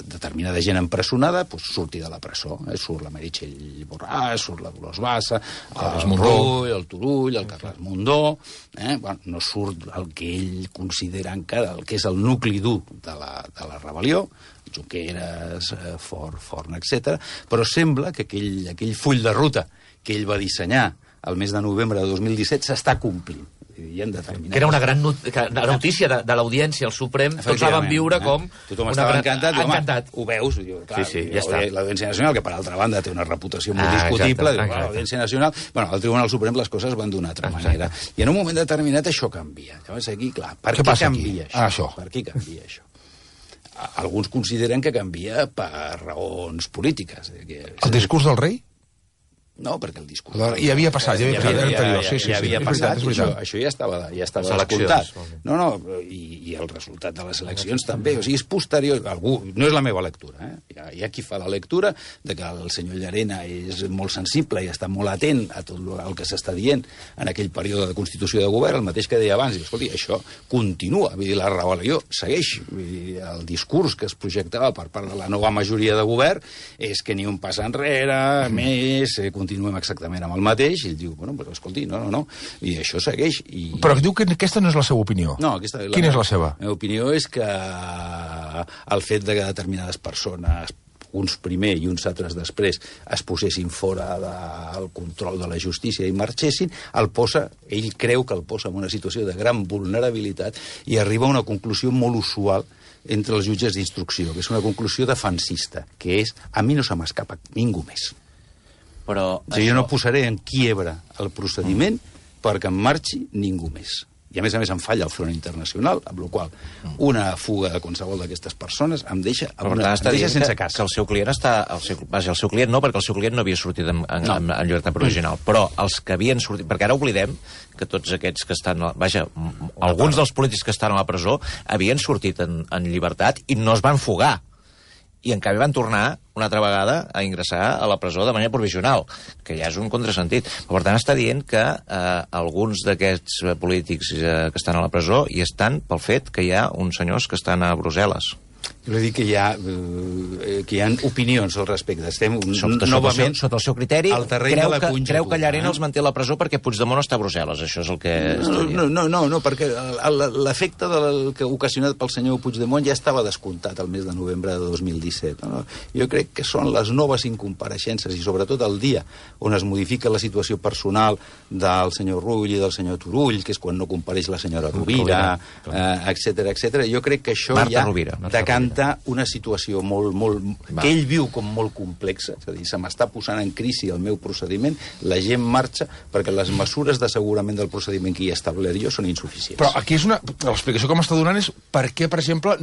determinada gent empresonada pues, surti de la presó. Eh? Surt la Meritxell Borràs, surt la Dolors Bassa, el Rull, el Turull, el Carles Mundó... Eh? Bueno, no surt el que ell considera encara el que és el nucli dur de la, de la rebel·lió, Junqueras, eh, Forn, Forn, etcètera, però sembla que aquell, aquell full de ruta que ell va dissenyar el mes de novembre de dos mil disset s'està complint. Que era una gran not notícia de, de l'Audiència al Suprem, tots la van viure com... Tothom estava gran... encantat, i, home, encantat. Ho veus? Diu, clar, sí, sí, ja està. L'Audiència Nacional, que per altra banda té una reputació molt ah, discutible, diu, l'Audiència Nacional... Bueno, al Tribunal Suprem les coses van d'una altra exacte. manera. I en un moment determinat això canvia. Llavors aquí, clar, per què, què canvia aquí? això? Ah, això? Per què canvia això? Alguns consideren que canvia per raons polítiques. Que... El discurs del rei? No, perquè el discurs... I havia passat, ja havia passat, ja, ja, ja, ja, ja, ja havia passat, i això, això ja estava, ja estava escoltat. No, no, i, i el resultat de les eleccions també, o sigui, és posterior, algú, no és la meva lectura, eh? Hi ha, hi ha qui fa la lectura de que el senyor Llarena és molt sensible i està molt atent a tot el que s'està dient en aquell període de constitució de govern, el mateix que deia abans, i escolti, això continua, vull dir, la rebel·lió segueix, vull dir, el discurs que es projectava per part de la nova majoria de govern és que ni un pas enrere, més, eh, continuem exactament amb el mateix, i ell diu, bueno, però escolti, no, no, no, i això segueix. I... Però diu que aquesta no és la seva opinió. No, aquesta... La, Quina és la seva? La meva opinió és que el fet de que determinades persones, uns primer i uns altres després, es posessin fora del control de la justícia i marxessin, el posa, ell creu que el posa en una situació de gran vulnerabilitat i arriba a una conclusió molt usual entre els jutges d'instrucció, que és una conclusió defensista, que és, a mi no se m'escapa ningú més. Però o sigui, això... jo no posaré en quiebra el procediment mm. perquè en marxi ningú més. I a més a més em falla el front internacional, amb la qual una fuga de qualsevol d'aquestes persones em deixa, Però una, està em deixa sense que, casa. que el seu client està... El seu, vaja, el seu client no, perquè el seu client no havia sortit en, en, no. en, en llibertat provisional. Però els que havien sortit... Perquè ara oblidem que tots aquests que estan... Vaja, alguns dels polítics que estan a la presó havien sortit en, en llibertat i no es van fugar. I en canvi van tornar una altra vegada a ingressar a la presó de manera provisional, que ja és un contrasentit. Per tant, està dient que eh, alguns d'aquests polítics eh, que estan a la presó hi estan pel fet que hi ha uns senyors que estan a Brussel·les. Jo vull dir que hi ha, eh, que hi ha opinions al respecte. Estem sota, novament... Sota, sota el seu criteri, creu que, creu que Llarena eh? els manté a la presó perquè Puigdemont està a Brussel·les. Això és el que... No, no, no, no, no, perquè l'efecte del que ocasionat pel senyor Puigdemont ja estava descomptat el mes de novembre de dos mil disset. No? Jo crec que són les noves incompareixences i sobretot el dia on es modifica la situació personal del senyor Rull i del senyor Turull, que és quan no compareix la senyora Rovira, eh, etcètera, etcètera. Jo crec que això Marta ja Rovira, Marta decanta una situació molt, molt, Va. que ell viu com molt complexa, és a dir, se m'està posant en crisi el meu procediment, la gent marxa perquè les mesures d'assegurament del procediment que hi he establert jo són insuficients. Però aquí és una... L'explicació que m'està donant és per què, per exemple,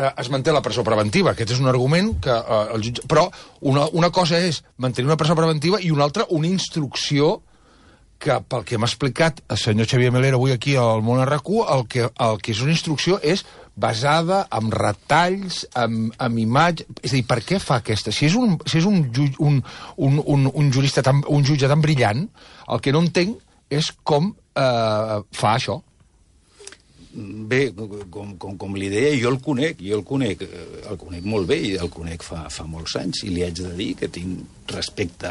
es manté la presó preventiva. Aquest és un argument que eh, el jutge... Però una, una cosa és mantenir una presó preventiva i una altra una instrucció que, pel que m'ha explicat el senyor Xavier Melero avui aquí al Món R Q, el que, el que és una instrucció és basada en retalls, en, en imatge... És a dir, per què fa aquesta? Si és un, si és un, ju, un, un, un, un jurista, tan, un jutge tan brillant, el que no entenc és com eh, fa això. Bé, com, com, com li deia, jo el conec, jo el conec, el conec molt bé i el conec fa, fa molts anys i li haig de dir que tinc respecte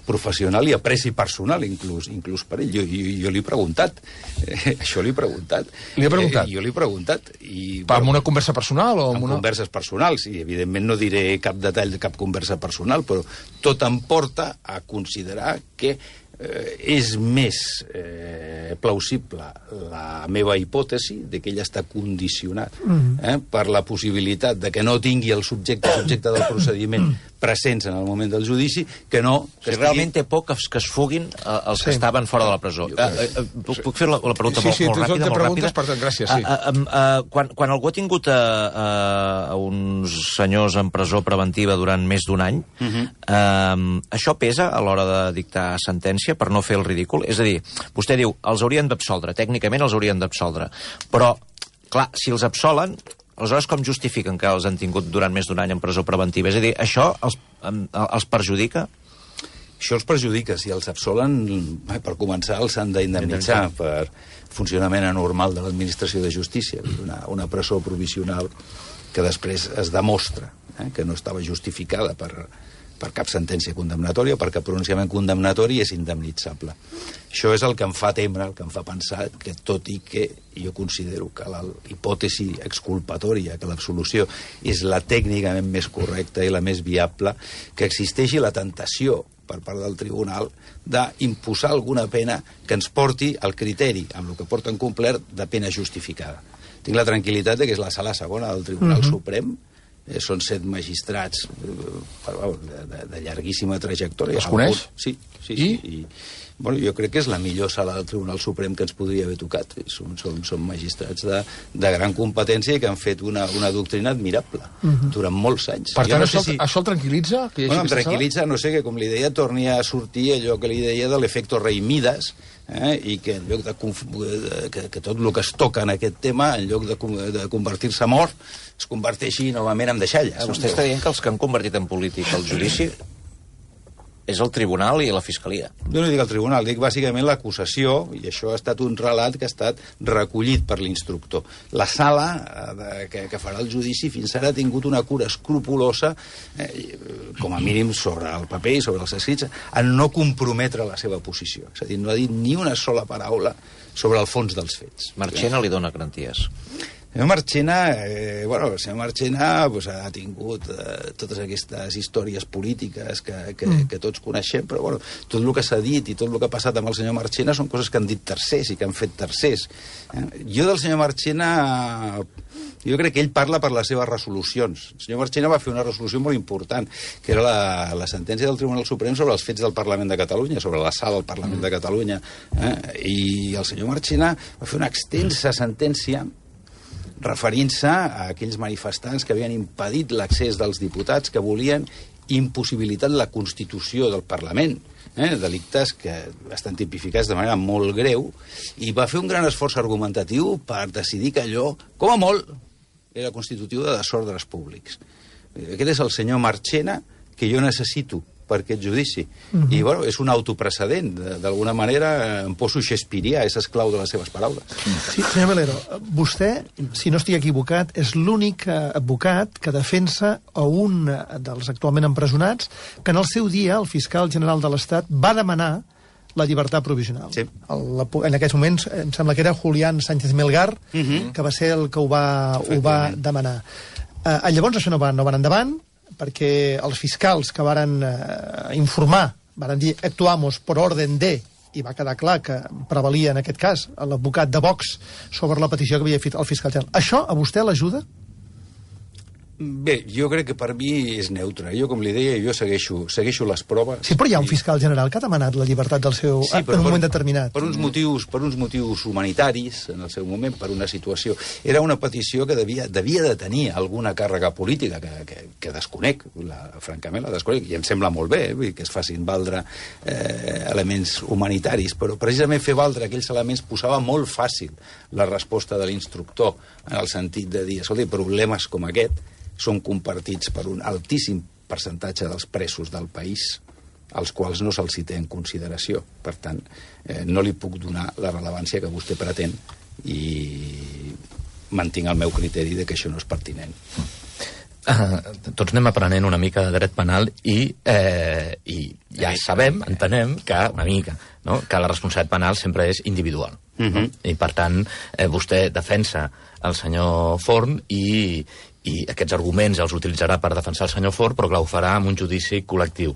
professional i apreci personal, inclús, inclús per ell. Jo, jo, jo li he preguntat. Eh, això li he preguntat. Li he preguntat? Eh, jo li he preguntat. I, per bueno, una conversa personal? O amb una... converses personals, i evidentment no diré cap detall de cap conversa personal, però tot em porta a considerar que eh, és més eh, plausible la meva hipòtesi de que ell està condicionat eh, per la possibilitat de que no tingui el subjecte, subjecte del procediment presents en el moment del judici, que no... Que si estigui... realment té por que, que es fuguin eh, els sí. que estaven fora de la presó. Eh, eh, puc, puc fer la, la pregunta sí, molt, sí, molt ràpida? Sí, sí, preguntes, per tant, gràcies, sí. Uh, uh, uh, quan, quan algú ha tingut a, a, a uns senyors en presó preventiva durant més d'un any, uh -huh. uh, això pesa a l'hora de dictar sentència per no fer el ridícul? És a dir, vostè diu, els haurien d'absoldre, tècnicament els haurien d'absoldre, però, clar, si els absolen, aleshores com justifiquen que els han tingut durant més d'un any en presó preventiva? És a dir, això els, els perjudica? Això els perjudica. Si els absolen, per començar, els han d'indemnitzar per funcionament anormal de l'administració de justícia. Una, una presó provisional que després es demostra eh, que no estava justificada per, per cap sentència condemnatòria, perquè el pronunciament condemnatori és indemnitzable. Això és el que em fa temer, el que em fa pensar que, tot i que jo considero que la hipòtesi exculpatòria, que l'absolució és la tècnicament més correcta i la més viable, que existeixi la tentació per part del tribunal d'imposar alguna pena que ens porti al criteri, amb el que porten complert, de pena justificada. Tinc la tranquil·litat de que és la sala segona del Tribunal uh-huh. Suprem, eh, són set magistrats eh, de, de, de llarguíssima trajectòria. Els coneix? Sí, sí, I? sí. I, bueno, jo crec que és la millor sala del Tribunal Suprem que ens podria haver tocat. Són, són, són magistrats de, de gran competència i que han fet una, una doctrina admirable uh-huh. durant molts anys. Per tant, no això, sé si... això el tranquil·litza? Que bueno, em tranquil·litza, no sé, que com li deia, torni a sortir allò que li deia de l'efecte rei Mides, eh? I que en lloc de, que, que tot el que es toca en aquest tema, en lloc de, de convertir-se en mort, es converteixi novament en deixalles. Vostè està dient que els que han convertit en polític el judici és el tribunal i la fiscalia. Jo no dic el tribunal, dic bàsicament l'acusació, i això ha estat un relat que ha estat recollit per l'instructor. La sala de, que, que farà el judici fins ara ha tingut una cura escrupulosa, eh, com a mínim sobre el paper i sobre els escrits, en no comprometre la seva posició. És a dir, no ha dit ni una sola paraula sobre el fons dels fets. Marchena li dona garanties. El senyor Marchena, eh, bueno, el senyor Marchena pues, ha tingut eh, totes aquestes històries polítiques que, que, mm. que tots coneixem, però bueno, tot el que s'ha dit i tot el que ha passat amb el senyor Marchena són coses que han dit tercers i que han fet tercers. Eh? Jo del senyor Marchena, jo crec que ell parla per les seves resolucions. El senyor Marchena va fer una resolució molt important, que era la, la sentència del Tribunal Suprem sobre els fets del Parlament de Catalunya, sobre la sala del Parlament mm. de Catalunya. Eh? I el senyor Marchena va fer una extensa sentència referint-se a aquells manifestants que havien impedit l'accés dels diputats, que volien impossibilitar la constitució del Parlament, eh? delictes que estan tipificats de manera molt greu, i va fer un gran esforç argumentatiu per decidir que allò, com a molt, era constitutiu de desordres públics. Aquest és el senyor Marchena que jo necessito per aquest judici. Uh-huh. I, bueno, és un autoprecedent. D'alguna manera, em poso Shakespeare, és esclau de les seves paraules. Sí, senyor Melero, vostè, si no estic equivocat, és l'únic advocat que defensa a un dels actualment empresonats que en el seu dia el fiscal general de l'Estat va demanar la llibertat provisional. Sí. El, en aquests moments, em sembla que era Julián Sánchez Melgar, uh-huh. que va ser el que ho va, ho va demanar. Uh, llavors això no va, no va endavant, perquè els fiscals que varen eh, informar, varen dir actuamos por orden de, i va quedar clar que prevalia en aquest cas l'advocat de Vox sobre la petició que havia fet el fiscal general. Això a vostè l'ajuda? Bé, jo crec que per mi és neutre. Jo, com li deia, jo segueixo, segueixo les proves. Sí, però hi ha un fiscal general que ha demanat la llibertat del seu... Sí, en un moment per, determinat. Per uns, motius, per uns motius humanitaris, en el seu moment, per una situació... Era una petició que devia, devia de tenir alguna càrrega política, que, que, que desconec, la, francament la desconec, i em sembla molt bé, eh, que es facin valdre eh, elements humanitaris, però precisament fer valdre aquells elements posava molt fàcil la resposta de l'instructor, en el sentit de dir, escolta, problemes com aquest són compartits per un altíssim percentatge dels presos del país, als quals no se'ls té en consideració. Per tant, eh, no li puc donar la rellevància que vostè pretén i mantinc el meu criteri de que això no és pertinent. Uh, tots anem aprenent una mica de dret penal i, eh, i ja sabem, entenem, que una mica, no? que la responsabilitat penal sempre és individual. Uh-huh. No? I, per tant, eh, vostè defensa el senyor Forn i, i aquests arguments els utilitzarà per defensar el senyor Forn, però clar, ho farà amb un judici col·lectiu.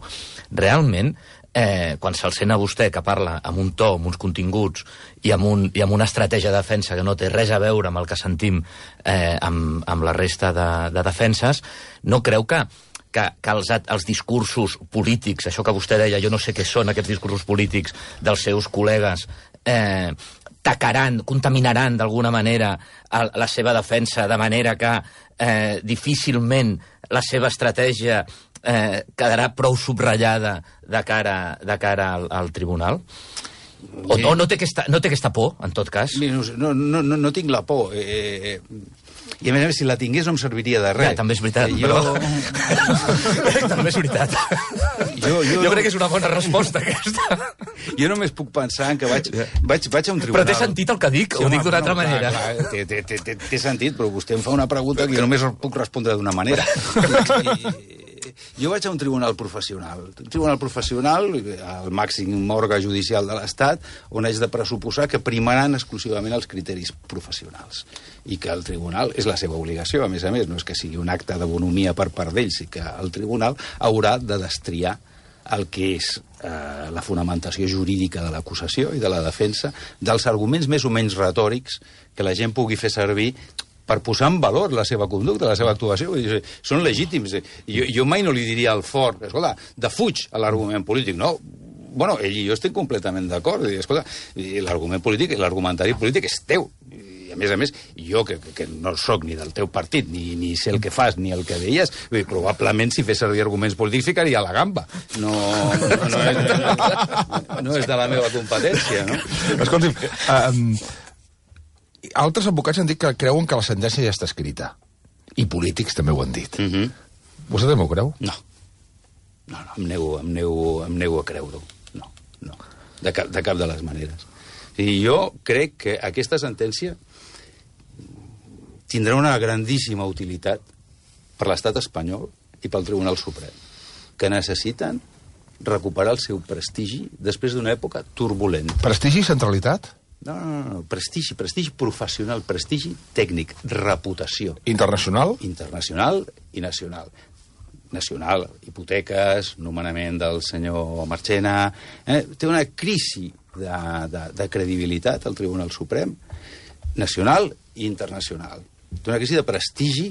Realment, eh, quan se'l sent a vostè que parla amb un to, amb uns continguts i amb, un, i amb una estratègia de defensa que no té res a veure amb el que sentim eh, amb, amb la resta de, de defenses, no creu que que, que els, els discursos polítics, això que vostè deia, jo no sé què són aquests discursos polítics dels seus col·legues, eh, tacaran, contaminaran d'alguna manera el, la seva defensa, de manera que eh, difícilment la seva estratègia eh, quedarà prou subratllada de cara, de cara al, al tribunal? O, o no, té aquesta, no té aquesta por, en tot cas? No, no, no, no tinc la por. Eh, I a més a més, si la tingués no em serviria de res. Ja, també és veritat, jo... però... també és veritat. Jo, jo, jo crec que és una bona resposta, aquesta. Jo només puc pensar en que vaig, vaig, vaig a un tribunal... Però té sentit el que dic, sí, ho dic d'una altra no, manera. Clar, clar, té, té, té, té sentit, però vostè em fa una pregunta que jo només puc respondre d'una manera. I... Jo vaig a un tribunal professional. Un tribunal professional, el màxim òrgan judicial de l'Estat, on haig de pressuposar que primaran exclusivament els criteris professionals. I que el tribunal és la seva obligació, a més a més, no és que sigui un acte de bonomia per part d'ells, i que el tribunal haurà de destriar el que és eh, la fonamentació jurídica de l'acusació i de la defensa, dels arguments més o menys retòrics que la gent pugui fer servir per posar en valor la seva conducta, la seva actuació. Dir, són legítims. Jo, jo mai no li diria al Fort, escolta, defuig l'argument polític. No, bueno, ell i jo estic completament d'acord. Escolta, l'argument polític, l'argumentari polític és teu. I a més a més, jo, que, que no sóc ni del teu partit, ni, ni sé el que fas, ni el que deies, probablement si fes servir arguments polítics ficaria a la gamba. No, no, no, és, no és de la meva competència, no? Escolti'm, um, altres advocats han dit que creuen que la sentència ja està escrita. I polítics també ho han dit. Uh-huh. Vostè també ho creu? No. No, no, em nego, em nego, em nego a creure-ho. No, no. De cap, de cap de les maneres. I jo crec que aquesta sentència tindrà una grandíssima utilitat per l'estat espanyol i pel Tribunal Suprem, que necessiten recuperar el seu prestigi després d'una època turbulenta. Prestigi i centralitat? No, no, no, prestigi, prestigi professional, prestigi tècnic, reputació. Internacional? Internacional i nacional. Nacional, hipoteques, nomenament del senyor Marchena... Eh? Té una crisi de, de, de credibilitat al Tribunal Suprem, nacional i internacional. Té una crisi de prestigi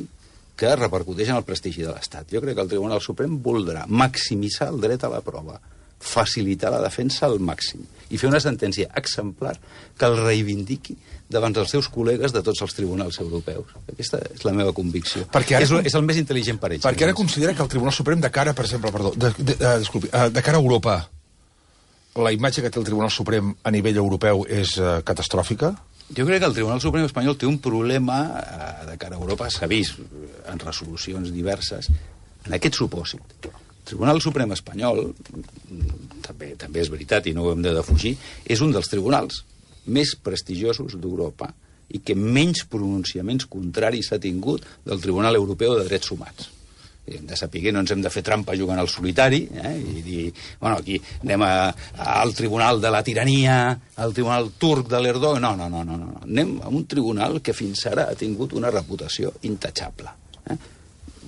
que repercuteix en el prestigi de l'Estat. Jo crec que el Tribunal Suprem voldrà maximitzar el dret a la prova, facilitar la defensa al màxim i fer una sentència exemplar que el reivindiqui davant dels seus col·legues de tots els tribunals europeus. Aquesta és la meva convicció. Ara, és, és el més intel·ligent per ells. Perquè ara considera que el Tribunal Suprem de cara, per exemple, perdó, de, de, de, disculpi, de cara a Europa, la imatge que té el Tribunal Suprem a nivell europeu és uh, catastròfica? Jo crec que el Tribunal Suprem espanyol té un problema uh, de cara a Europa, s'ha vist en resolucions diverses, en aquest supòsit. El Tribunal Suprem espanyol, també, també és veritat i no ho hem de defugir, és un dels tribunals més prestigiosos d'Europa i que menys pronunciaments contraris ha tingut del Tribunal Europeu de Drets Humans. Hem de saber que no ens hem de fer trampa jugant al solitari, eh? I dir, bueno, aquí anem a, a, al Tribunal de la Tirania, al Tribunal Turc de l'Erdogan... No, no, no, no, no. Anem a un tribunal que fins ara ha tingut una reputació intachable. Eh?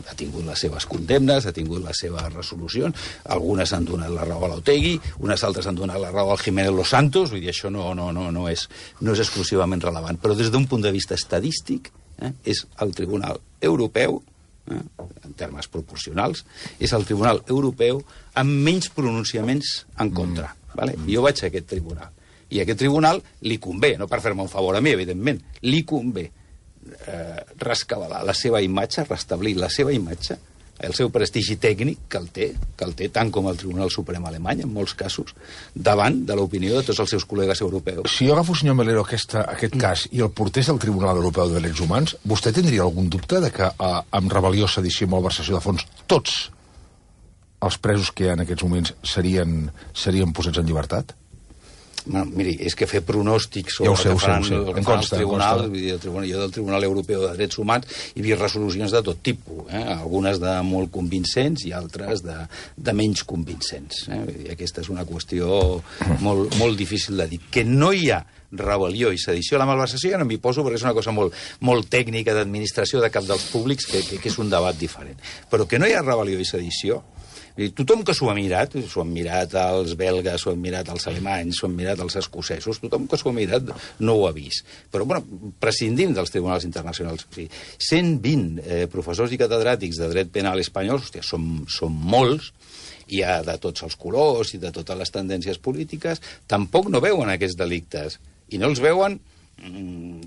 Ha tingut les seves condemnes, ha tingut les seves resolucions, algunes han donat la raó a l'Otegi, unes altres han donat la raó al Jiménez Los Santos, vull dir, això no, no, no, no, és, no és exclusivament relevant. Però des d'un punt de vista estadístic, eh, és el Tribunal Europeu, eh, en termes proporcionals, és el Tribunal Europeu amb menys pronunciaments en contra. Mm. Vale? Jo vaig a aquest tribunal. I a aquest tribunal li convé, no per fer-me un favor a mi, evidentment, li convé eh, rescabalar la seva imatge, restablir la seva imatge, el seu prestigi tècnic que el té, que el té tant com el Tribunal Suprem alemany, en molts casos, davant de l'opinió de tots els seus col·legues europeus. Si jo agafo, senyor Melero, aquesta, aquest cas i el portés al Tribunal Europeu de Drets Humans, vostè tindria algun dubte de que eh, amb rebel·lió, sedició i malversació de fons tots els presos que en aquests moments serien, serien posats en llibertat? Bueno, miri, és que fer pronòstics sobre ja ho sé, el que faran, ho sé, ho sé. el que faran el tribunal, el tribunal, jo del Tribunal Europeu de Drets Humans he vist resolucions de tot tipus, eh? Algunes de molt convincents i altres de, de menys convincents. Eh? I aquesta és una qüestió molt, molt difícil de dir. Que no hi ha rebel·lió i sedició a la malversació ja no m'hi poso perquè és una cosa molt, molt tècnica d'administració de cap dels públics que, que, que és un debat diferent. Però que no hi ha rebel·lió i sedició, tothom que s'ho ha mirat, s'ho han mirat els belgues, s'ho han mirat els alemanys, s'ho han mirat els escocesos, tothom que s'ho ha mirat no ho ha vist. Però, bueno, prescindint dels tribunals internacionals, o sigui, cent vint eh, professors i catedràtics de dret penal espanyols, hòstia, són, són molts, i ha de tots els colors i de totes les tendències polítiques, tampoc no veuen aquests delictes. I no els veuen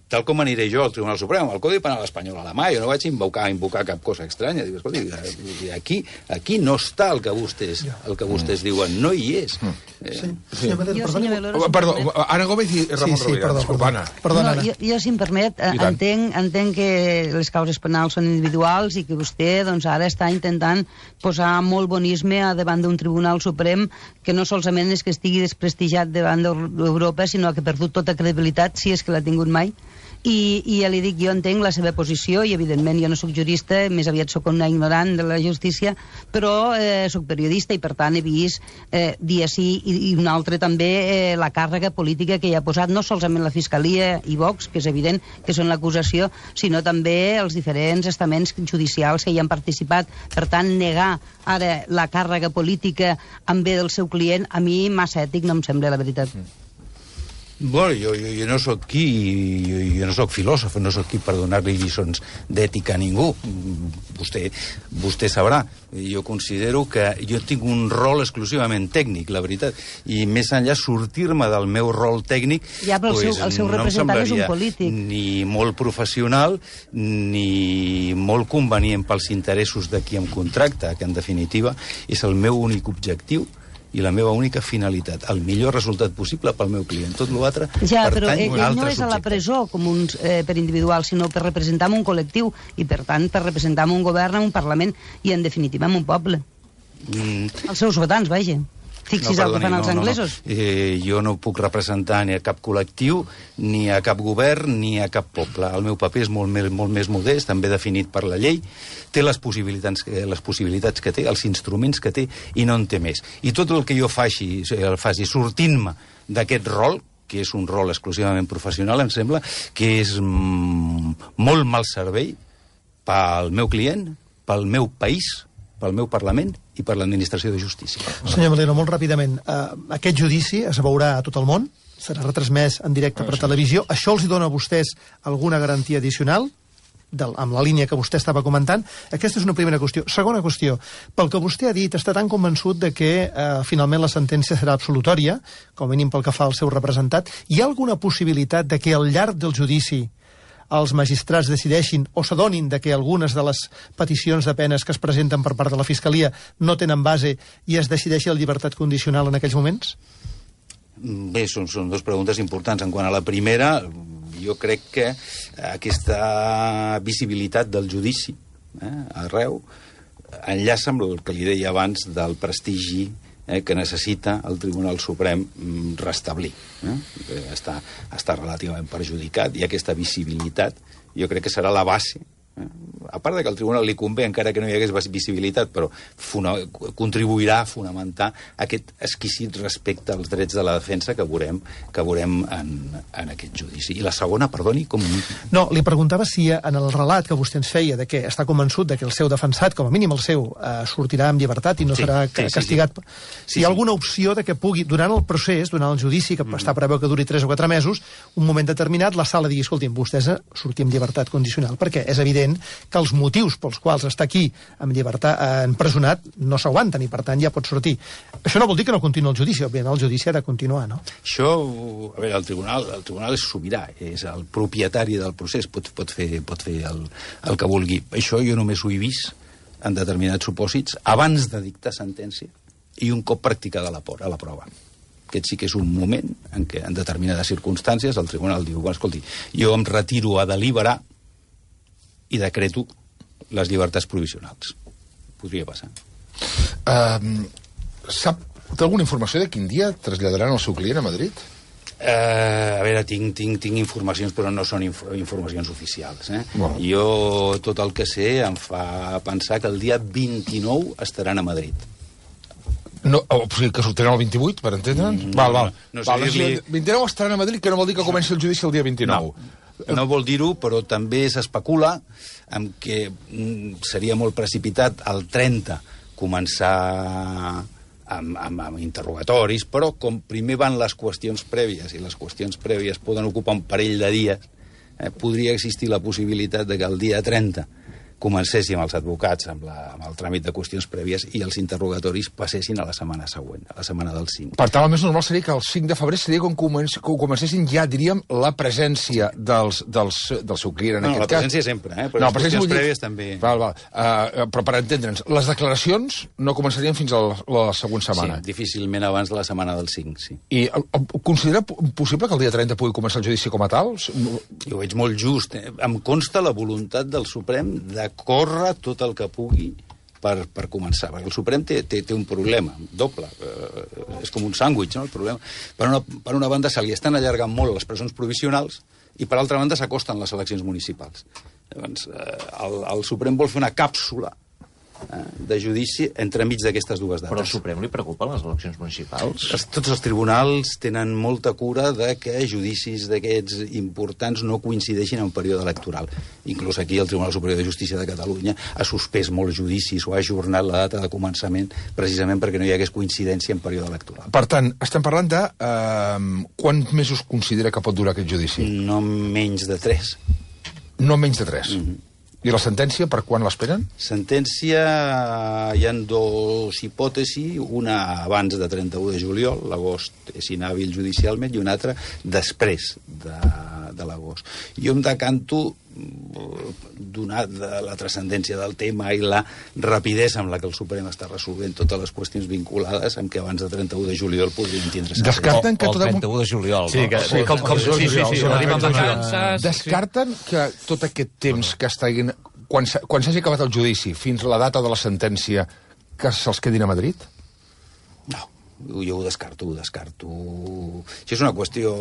tal com aniré jo al Tribunal Suprem, al Codi Penal espanyol alemany, jo no vaig invocar, invocar cap cosa estranya. Dic, escolti, aquí, aquí no està el que vostès, el que vostès diuen, no hi és. Mm. Eh, sí. Sí. Jo, perdó, perdó, Ana Gómez i Ramon sí, sí, Rovira. Perdó, Disculpa, Anna. Perdó, no, jo, jo, si em permet, entenc, entenc que les causes penals són individuals i que vostè doncs, ara està intentant posar molt bonisme davant d'un Tribunal Suprem que no solament és que estigui desprestigiat davant d'Europa, sinó que ha perdut tota credibilitat, si és que l'ha tingut mai. I, i ja li dic, jo entenc la seva posició i evidentment jo no sóc jurista, més aviat sóc una ignorant de la justícia, però eh, sóc periodista i per tant he vist eh, dia sí i, i un altre també eh, la càrrega política que hi ha posat no solament la Fiscalia i Vox, que és evident que són l'acusació, sinó també els diferents estaments judicials que hi han participat. Per tant, negar ara la càrrega política en bé del seu client, a mi massa ètic no em sembla, la veritat. Mm. Bueno, jo, jo, jo no sóc qui, jo, jo no sóc filòsof, no sóc qui per donar-li lliçons d'ètica a ningú. Vostè, vostè sabrà. Jo considero que jo tinc un rol exclusivament tècnic, la veritat, i més enllà sortir-me del meu rol tècnic, ja, però el, pues, seu, el seu representant no és un polític. Ni molt professional, ni molt convenient pels interessos de qui em contracta, que en definitiva és el meu únic objectiu i la meva única finalitat, el millor resultat possible pel meu client. Tot l'altre ja, però pertany a un altre no és a la presó com un, eh, per individual, sinó per representar un col·lectiu i, per tant, per representar un govern, un parlament i, en definitiva, un poble. Mm. Els seus votants, vaja. Fixis no, perdoni, el que fan els no, anglesos. No, no. Eh, jo no puc representar ni a cap col·lectiu, ni a cap govern, ni a cap poble. El meu paper és molt més, molt més modest, també definit per la llei, té les possibilitats, les possibilitats que té, els instruments que té, i no en té més. I tot el que jo faci, el faci sortint-me d'aquest rol, que és un rol exclusivament professional, em sembla que és mm, molt mal servei pel meu client, pel meu país, pel meu Parlament i per l'administració de justícia. Senyor Melero, molt ràpidament, uh, aquest judici es veurà a tot el món, serà retransmès en directe per televisió. Això els dona a vostès alguna garantia addicional? Del, amb la línia que vostè estava comentant. Aquesta és una primera qüestió. Segona qüestió, pel que vostè ha dit, està tan convençut de que eh, finalment la sentència serà absolutòria, com a mínim pel que fa al seu representat. Hi ha alguna possibilitat de que al llarg del judici els magistrats decideixin o s'adonin de que algunes de les peticions de penes que es presenten per part de la Fiscalia no tenen base i es decideixi la llibertat condicional en aquells moments? Bé, són, són dues preguntes importants. En quant a la primera, jo crec que aquesta visibilitat del judici eh, arreu enllaça amb el que li deia abans del prestigi eh, que necessita el Tribunal Suprem restablir. Eh? Està, està relativament perjudicat i aquesta visibilitat jo crec que serà la base. Eh? A part de que al Tribunal li convé, encara que no hi hagués visibilitat, però funa, contribuirà a fonamentar aquest exquisit respecte als drets de la defensa que veurem, que veurem en, en aquest judici. I la segona, perdoni, com... No, li preguntava si en el relat que vostè ens feia de que està convençut de que el seu defensat, com a mínim el seu, eh, sortirà amb llibertat i no sí, serà sí, castigat... Sí, sí. Si hi ha alguna opció de que pugui, durant el procés, durant el judici, que mm. està preveu que duri tres o quatre mesos, un moment determinat, la sala digui, escolti'm, vostès sortim amb llibertat condicional, perquè és evident que els motius pels quals està aquí amb llibertat eh, empresonat no s'aguanten i per tant ja pot sortir. Això no vol dir que no continuï el judici, òbviament el judici ha de continuar, no? Això, a veure, el tribunal, el tribunal és sobirà, és el propietari del procés, pot, pot fer, pot fer el, el que vulgui. Això jo només ho he vist en determinats supòsits abans de dictar sentència i un cop practicada la, a la prova. Aquest sí que és un moment en què en determinades circumstàncies el tribunal diu, bueno, escolti, jo em retiro a deliberar i decreto les llibertats provisionals. Podria passar. Uh, sap d'alguna informació de quin dia traslladaran el seu client a Madrid? Uh, a veure, tinc, tinc, tinc informacions, però no són inf informacions oficials. Eh? Bueno. Jo tot el que sé em fa pensar que el dia vint-i-nou estaran a Madrid. No, o sigui, que sortiran el vint-i-vuit, per entendre'ns? Mm, val, val. No, no val, dir-li... vint-i-nou estaran a Madrid, que no vol dir que comenci el judici el dia vint-i-nou. No. No vol dir-ho, però també s'especula amb que mm, seria molt precipitat el trenta començar amb, amb, amb interrogatoris, però com primer van les qüestions prèvies, i les qüestions prèvies poden ocupar un parell de dies, eh, podria existir la possibilitat de que el dia trenta comencéssim els advocats amb, la, amb el tràmit de qüestions prèvies i els interrogatoris passessin a la setmana següent, a la setmana del cinc. Per tant, el més normal seria que el cinc de febrer seria quan comenci, comencessin ja, diríem, la presència dels, dels, del seu client, en no, aquest la cas. presència sempre, eh? Però no, les qüestions prèvies també... Val, val. Uh, però per entendre'ns, les declaracions no començarien fins a la, la següent setmana. Sí, difícilment abans de la setmana del cinc, sí. I el, el, considera possible que el dia trenta pugui començar el judici com a tal? Jo ho veig molt just. Eh? Em consta la voluntat del Suprem de córrer tot el que pugui per, per començar, perquè el Suprem té, té, té un problema doble, eh, és com un sàndwich, no?, el problema. Per una, per una banda se li estan allargant molt les presons provisionals i per altra banda s'acosten les eleccions municipals. Llavors, eh, el, el Suprem vol fer una càpsula eh, de judici entremig d'aquestes dues dates. Però al Suprem li preocupen les eleccions municipals? Els, tots els tribunals tenen molta cura de que judicis d'aquests importants no coincideixin en un període electoral. Inclús aquí el Tribunal Superior de Justícia de Catalunya ha suspès molts judicis o ha ajornat la data de començament precisament perquè no hi hagués coincidència en període electoral. Per tant, estem parlant de eh, quants mesos considera que pot durar aquest judici? No menys de tres. No menys de tres? Mm-hmm. I la sentència, per quan l'esperen? Sentència, hi ha dues hipòtesis, una abans de trenta-u de juliol, l'agost és inhàbil judicialment, i una altra després de, de l'agost. Jo em decanto, donat la transcendència del tema i la rapidesa amb la que el Suprem està resolvent totes les qüestions vinculades, amb que abans de trenta-u de juliol podrien tindre... Descarten que... O el trenta-u de juliol. Sí, que, sí, com, com, sí, sí, sí, sí, sí, descarten que tot aquest temps que estiguin... Quan s'hagi acabat el judici fins a la data de la sentència, que se'ls quedin a Madrid? No, jo ho descarto, ho descarto. Això és una qüestió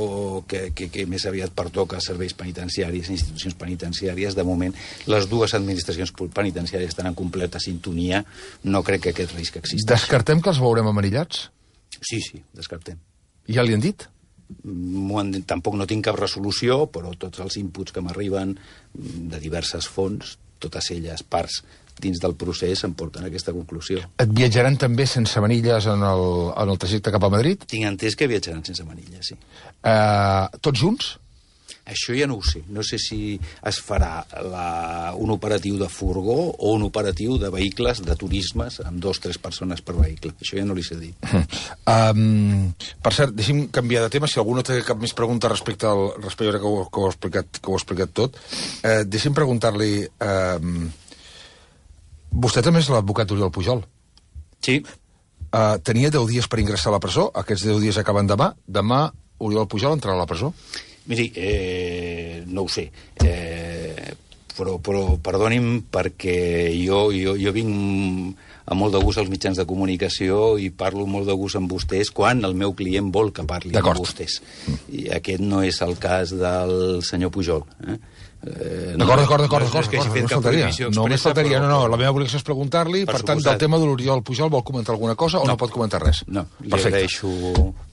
que, que, que més aviat pertoca a serveis penitenciaris, institucions penitenciàries. De moment, les dues administracions penitenciàries estan en completa sintonia. No crec que aquest risc existeixi. Descartem que els veurem amarillats? Sí, sí, descartem. Ja li han dit? tampoc no tinc cap resolució, però tots els inputs que m'arriben de diverses fonts, totes elles parts dins del procés, em porten a aquesta conclusió. Et viatjaran també sense manilles en el, en el trajecte cap a Madrid? Tinc entès que viatjaran sense manilles, sí. Uh, tots junts? Això ja no ho sé. No sé si es farà la, un operatiu de furgó o un operatiu de vehicles, de turismes, amb dos o tres persones per vehicle. Això ja no li sé dir. Um, per cert, deixi'm canviar de tema. Si algú no té cap més pregunta respecte al respecte que ho, que ho, he, explicat, que ho he explicat tot, eh, deixi'm preguntar-li... Eh, vostè també és l'advocat Oriol Pujol. Sí. Uh, tenia deu dies per ingressar a la presó. Aquests deu dies acaben demà. Demà Oriol Pujol entrarà a la presó? Miri, eh, no ho sé, eh, però, però perdoni'm perquè jo, jo, jo vinc amb molt de gust als mitjans de comunicació i parlo molt de gust amb vostès quan el meu client vol que parli amb vostès. I aquest no és el cas del senyor Pujol. Eh? Eh, d'acord, d'acord, d'acord, d'acord, no faltaria. No més faltaria, no, no, la meva obligació és preguntar-li, per, per tant, del tema de l'Oriol Pujol vol comentar alguna cosa o no, no pot comentar res? No, li agraeixo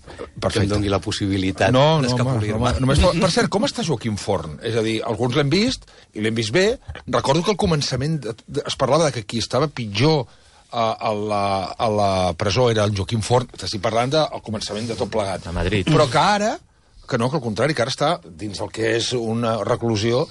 que em doni la possibilitat no, no, d'escapolir-me. No, no, per cert, com està Joaquim Forn? És a dir, alguns l'hem vist, i l'hem vist bé. Recordo que al començament es parlava de que qui estava pitjor a, a, la, a la presó era el Joaquim Forn. Estic parlant del començament de tot plegat. A Madrid. Però que ara... que no, que al contrari, que ara està dins el que és una reclusió,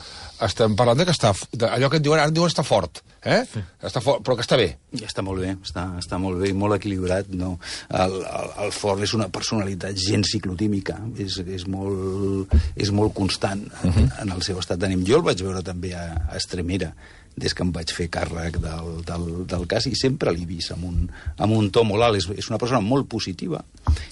estem parlant de que està, de, allò que et diuen, ara et diuen està fort, eh? Sí. Està fort, però que està bé. Ja està molt bé, està, està molt bé i molt equilibrat, no? El, el, el Forn és una personalitat gens ciclotímica, és, és, molt, és molt constant en, uh -huh. en el seu estat d'ànim. Jo el vaig veure també a, a Estremera, des que em vaig fer càrrec del, del, del cas, i sempre l'he vist amb un, amb un to molt alt. És, és una persona molt positiva.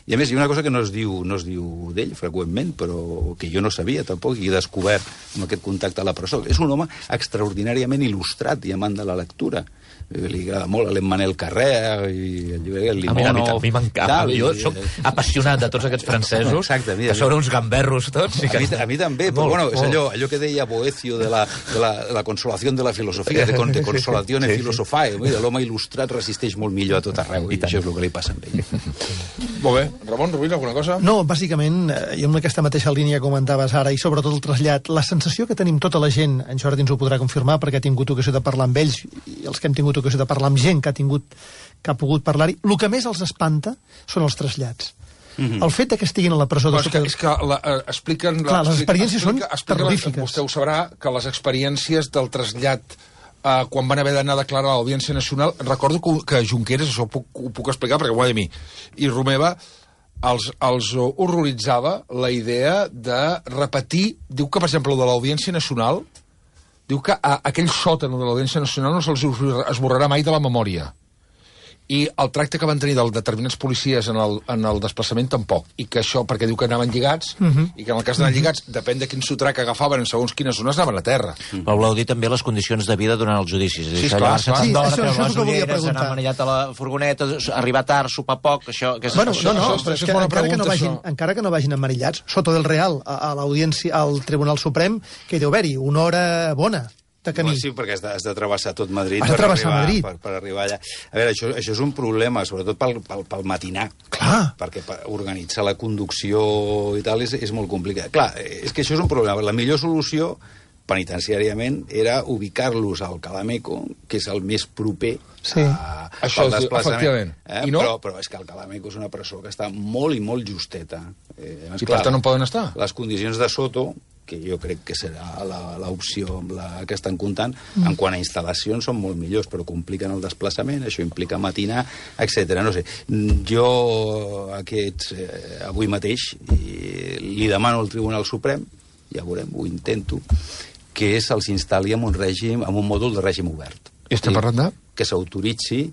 I a més, hi ha una cosa que no es diu, no es diu d'ell freqüentment, però que jo no sabia tampoc, i he descobert amb aquest contacte a la presó. És un home extraordinàriament il·lustrat i amant de la lectura. Li agrada molt a l'Emmanuel Carrère i el llibre El Limono. A mi m'encanta. Jo soc apassionat de tots aquests francesos, exacte, mira, que són uns gamberros tots. I que... a, mi, a mi també, però bueno, és allò, allò que deia Boecio de la, de la, de la consolació de la filosofia, de, de consolació sí, filosofae. Sí. L'home il·lustrat resisteix molt millor a tot arreu, i, i això és el que li passa amb ell. Molt bé. Ramon, Rubí, alguna cosa? No, bàsicament, i amb aquesta mateixa línia comentaves ara, i sobretot el trasllat, la sensació que tenim tota la gent, en Jordi ens ho podrà confirmar, perquè ha tingut ocasió de parlar amb ells, i els que hem tingut ocasió de parlar amb gent que ha tingut que ha pogut parlar-hi, el que més els espanta són els trasllats. Mm-hmm. El fet que estiguin a la presó... Però és que, és que la, eh, expliquen... Clar, les experiències explica, són terrorífiques. Vostè ho sabrà, que les experiències del trasllat eh, quan van haver d'anar a declarar a l'Audiència Nacional, recordo que, que Junqueras, això ho puc, ho puc explicar perquè ho va dir a mi, i Romeva els, els horroritzava la idea de repetir... Diu que, per exemple, de l'Audiència Nacional, diu que a, aquell sòtan de l'Audiència Nacional no se'ls esborrarà mai de la memòria. I el tracte que van tenir de determinats policies en el, en el desplaçament tampoc. I que això, perquè diu que anaven lligats, uh -huh. i que en el cas d'anar lligats, depèn de quin sotrac agafaven en segons quines zones, anaven a terra. Uh-huh. Però voleu dir també les condicions de vida durant els judicis. Sí, esclar, clar. Sí, això, això és el que volia preguntar. Anar manillat a la furgoneta, arribar tard, sopar poc, això... Que és, bueno, això, no, no, això, però això, és que, és encara, pregunta, que no vagin, encara que no vagin emmanillats, sota del Real, a, a l'audiència, al Tribunal Suprem, que hi deu haver-hi una hora bona de camí. Sí, perquè has de, has de travessar tot Madrid, has de per, travessar arribar, Madrid. Per, per arribar allà. A veure, això, això és un problema, sobretot pel, pel, pel matinar. Clar. Perquè per organitzar la conducció i tal és, és molt complicat. Clar, és que això és un problema. La millor solució, penitenciàriament, era ubicar-los al Calameco, que és el més proper sí. a, això al desplaçament. Eh? I no? Però, però és que el Calameco és una presó que està molt i molt justeta. Eh, I clar, per tant no poden estar? Les condicions de Soto, que jo crec que serà l'opció amb la que estan comptant, mm. en quant a instal·lacions són molt millors, però compliquen el desplaçament, això implica matinar, etcètera. No sé, jo aquests, eh, avui mateix i li demano al Tribunal Suprem, ja veurem, ho intento, que se'ls instal·li en un règim, en un mòdul de règim obert. I estem parlant de? Que s'autoritzi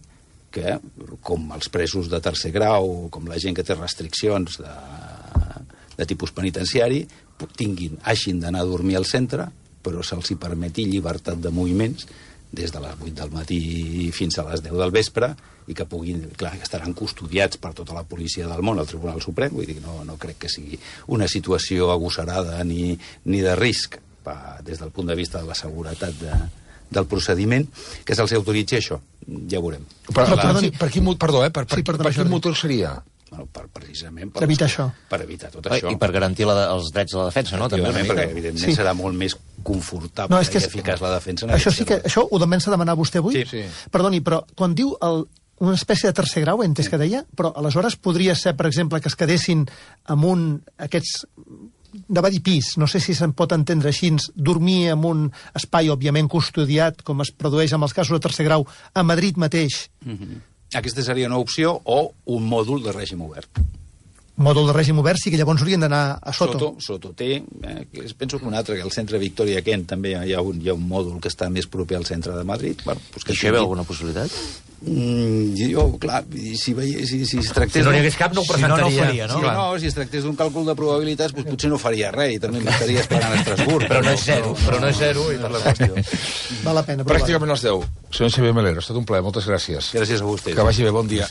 que, com els presos de tercer grau, com la gent que té restriccions de, de tipus penitenciari, tinguin, hagin d'anar a dormir al centre, però se'ls hi permeti llibertat de moviments des de les vuit del matí fins a les deu del vespre, i que puguin, clar, que estaran custodiats per tota la policia del món al Tribunal Suprem. Vull dir, no, no crec que sigui una situació agosarada ni, ni de risc pa, des del punt de vista de la seguretat de, del procediment, que se'ls autoritzi això. Ja ho veurem. Per, la... per, per, quin, perdó, eh? Per, per, sí, per, per quin motor seria? Bueno, per, precisament per, per evitar això. Per evitar tot això. I per garantir la, els drets de la defensa, no? També, perquè, evidentment, sí. serà molt més confortable no, és que i eficaç la defensa. Això sí que, això ho comença a demanar vostè avui? Sí, sí. Perdoni, però quan diu el, una espècie de tercer grau, he entès sí. que deia, però aleshores podria ser, per exemple, que es quedessin amb un, aquests, de va dir pis, no sé si se'n pot entendre així, dormir en un espai, òbviament, custodiat, com es produeix amb els casos de tercer grau, a Madrid mateix. Mm-hmm. Aquesta seria una opció o un mòdul de règim obert. Mòdul de règim obert sí que llavors haurien d'anar a Soto. Soto, Soto té, eh, penso que un altre, que al centre Victoria Kent també hi ha un, hi ha un mòdul que està més proper al centre de Madrid. Bueno, pues que I això hi veu alguna possibilitat? Mm, jo, clar, si, veia, si, si es tractés... Si no n'hi hagués cap, no ho presentaria. Si no, no faria, no? Si, no, si es tractés d'un càlcul de probabilitats, pues, potser no faria res i també m'estaria esperant a Estrasburg. Però no és zero, però no és zero i per la qüestió. Val la pena. Pràcticament les deu. Senyor Xavier Melero, ha estat un plaer, moltes gràcies. Gràcies a vostès. Que vagi bé, bon dia.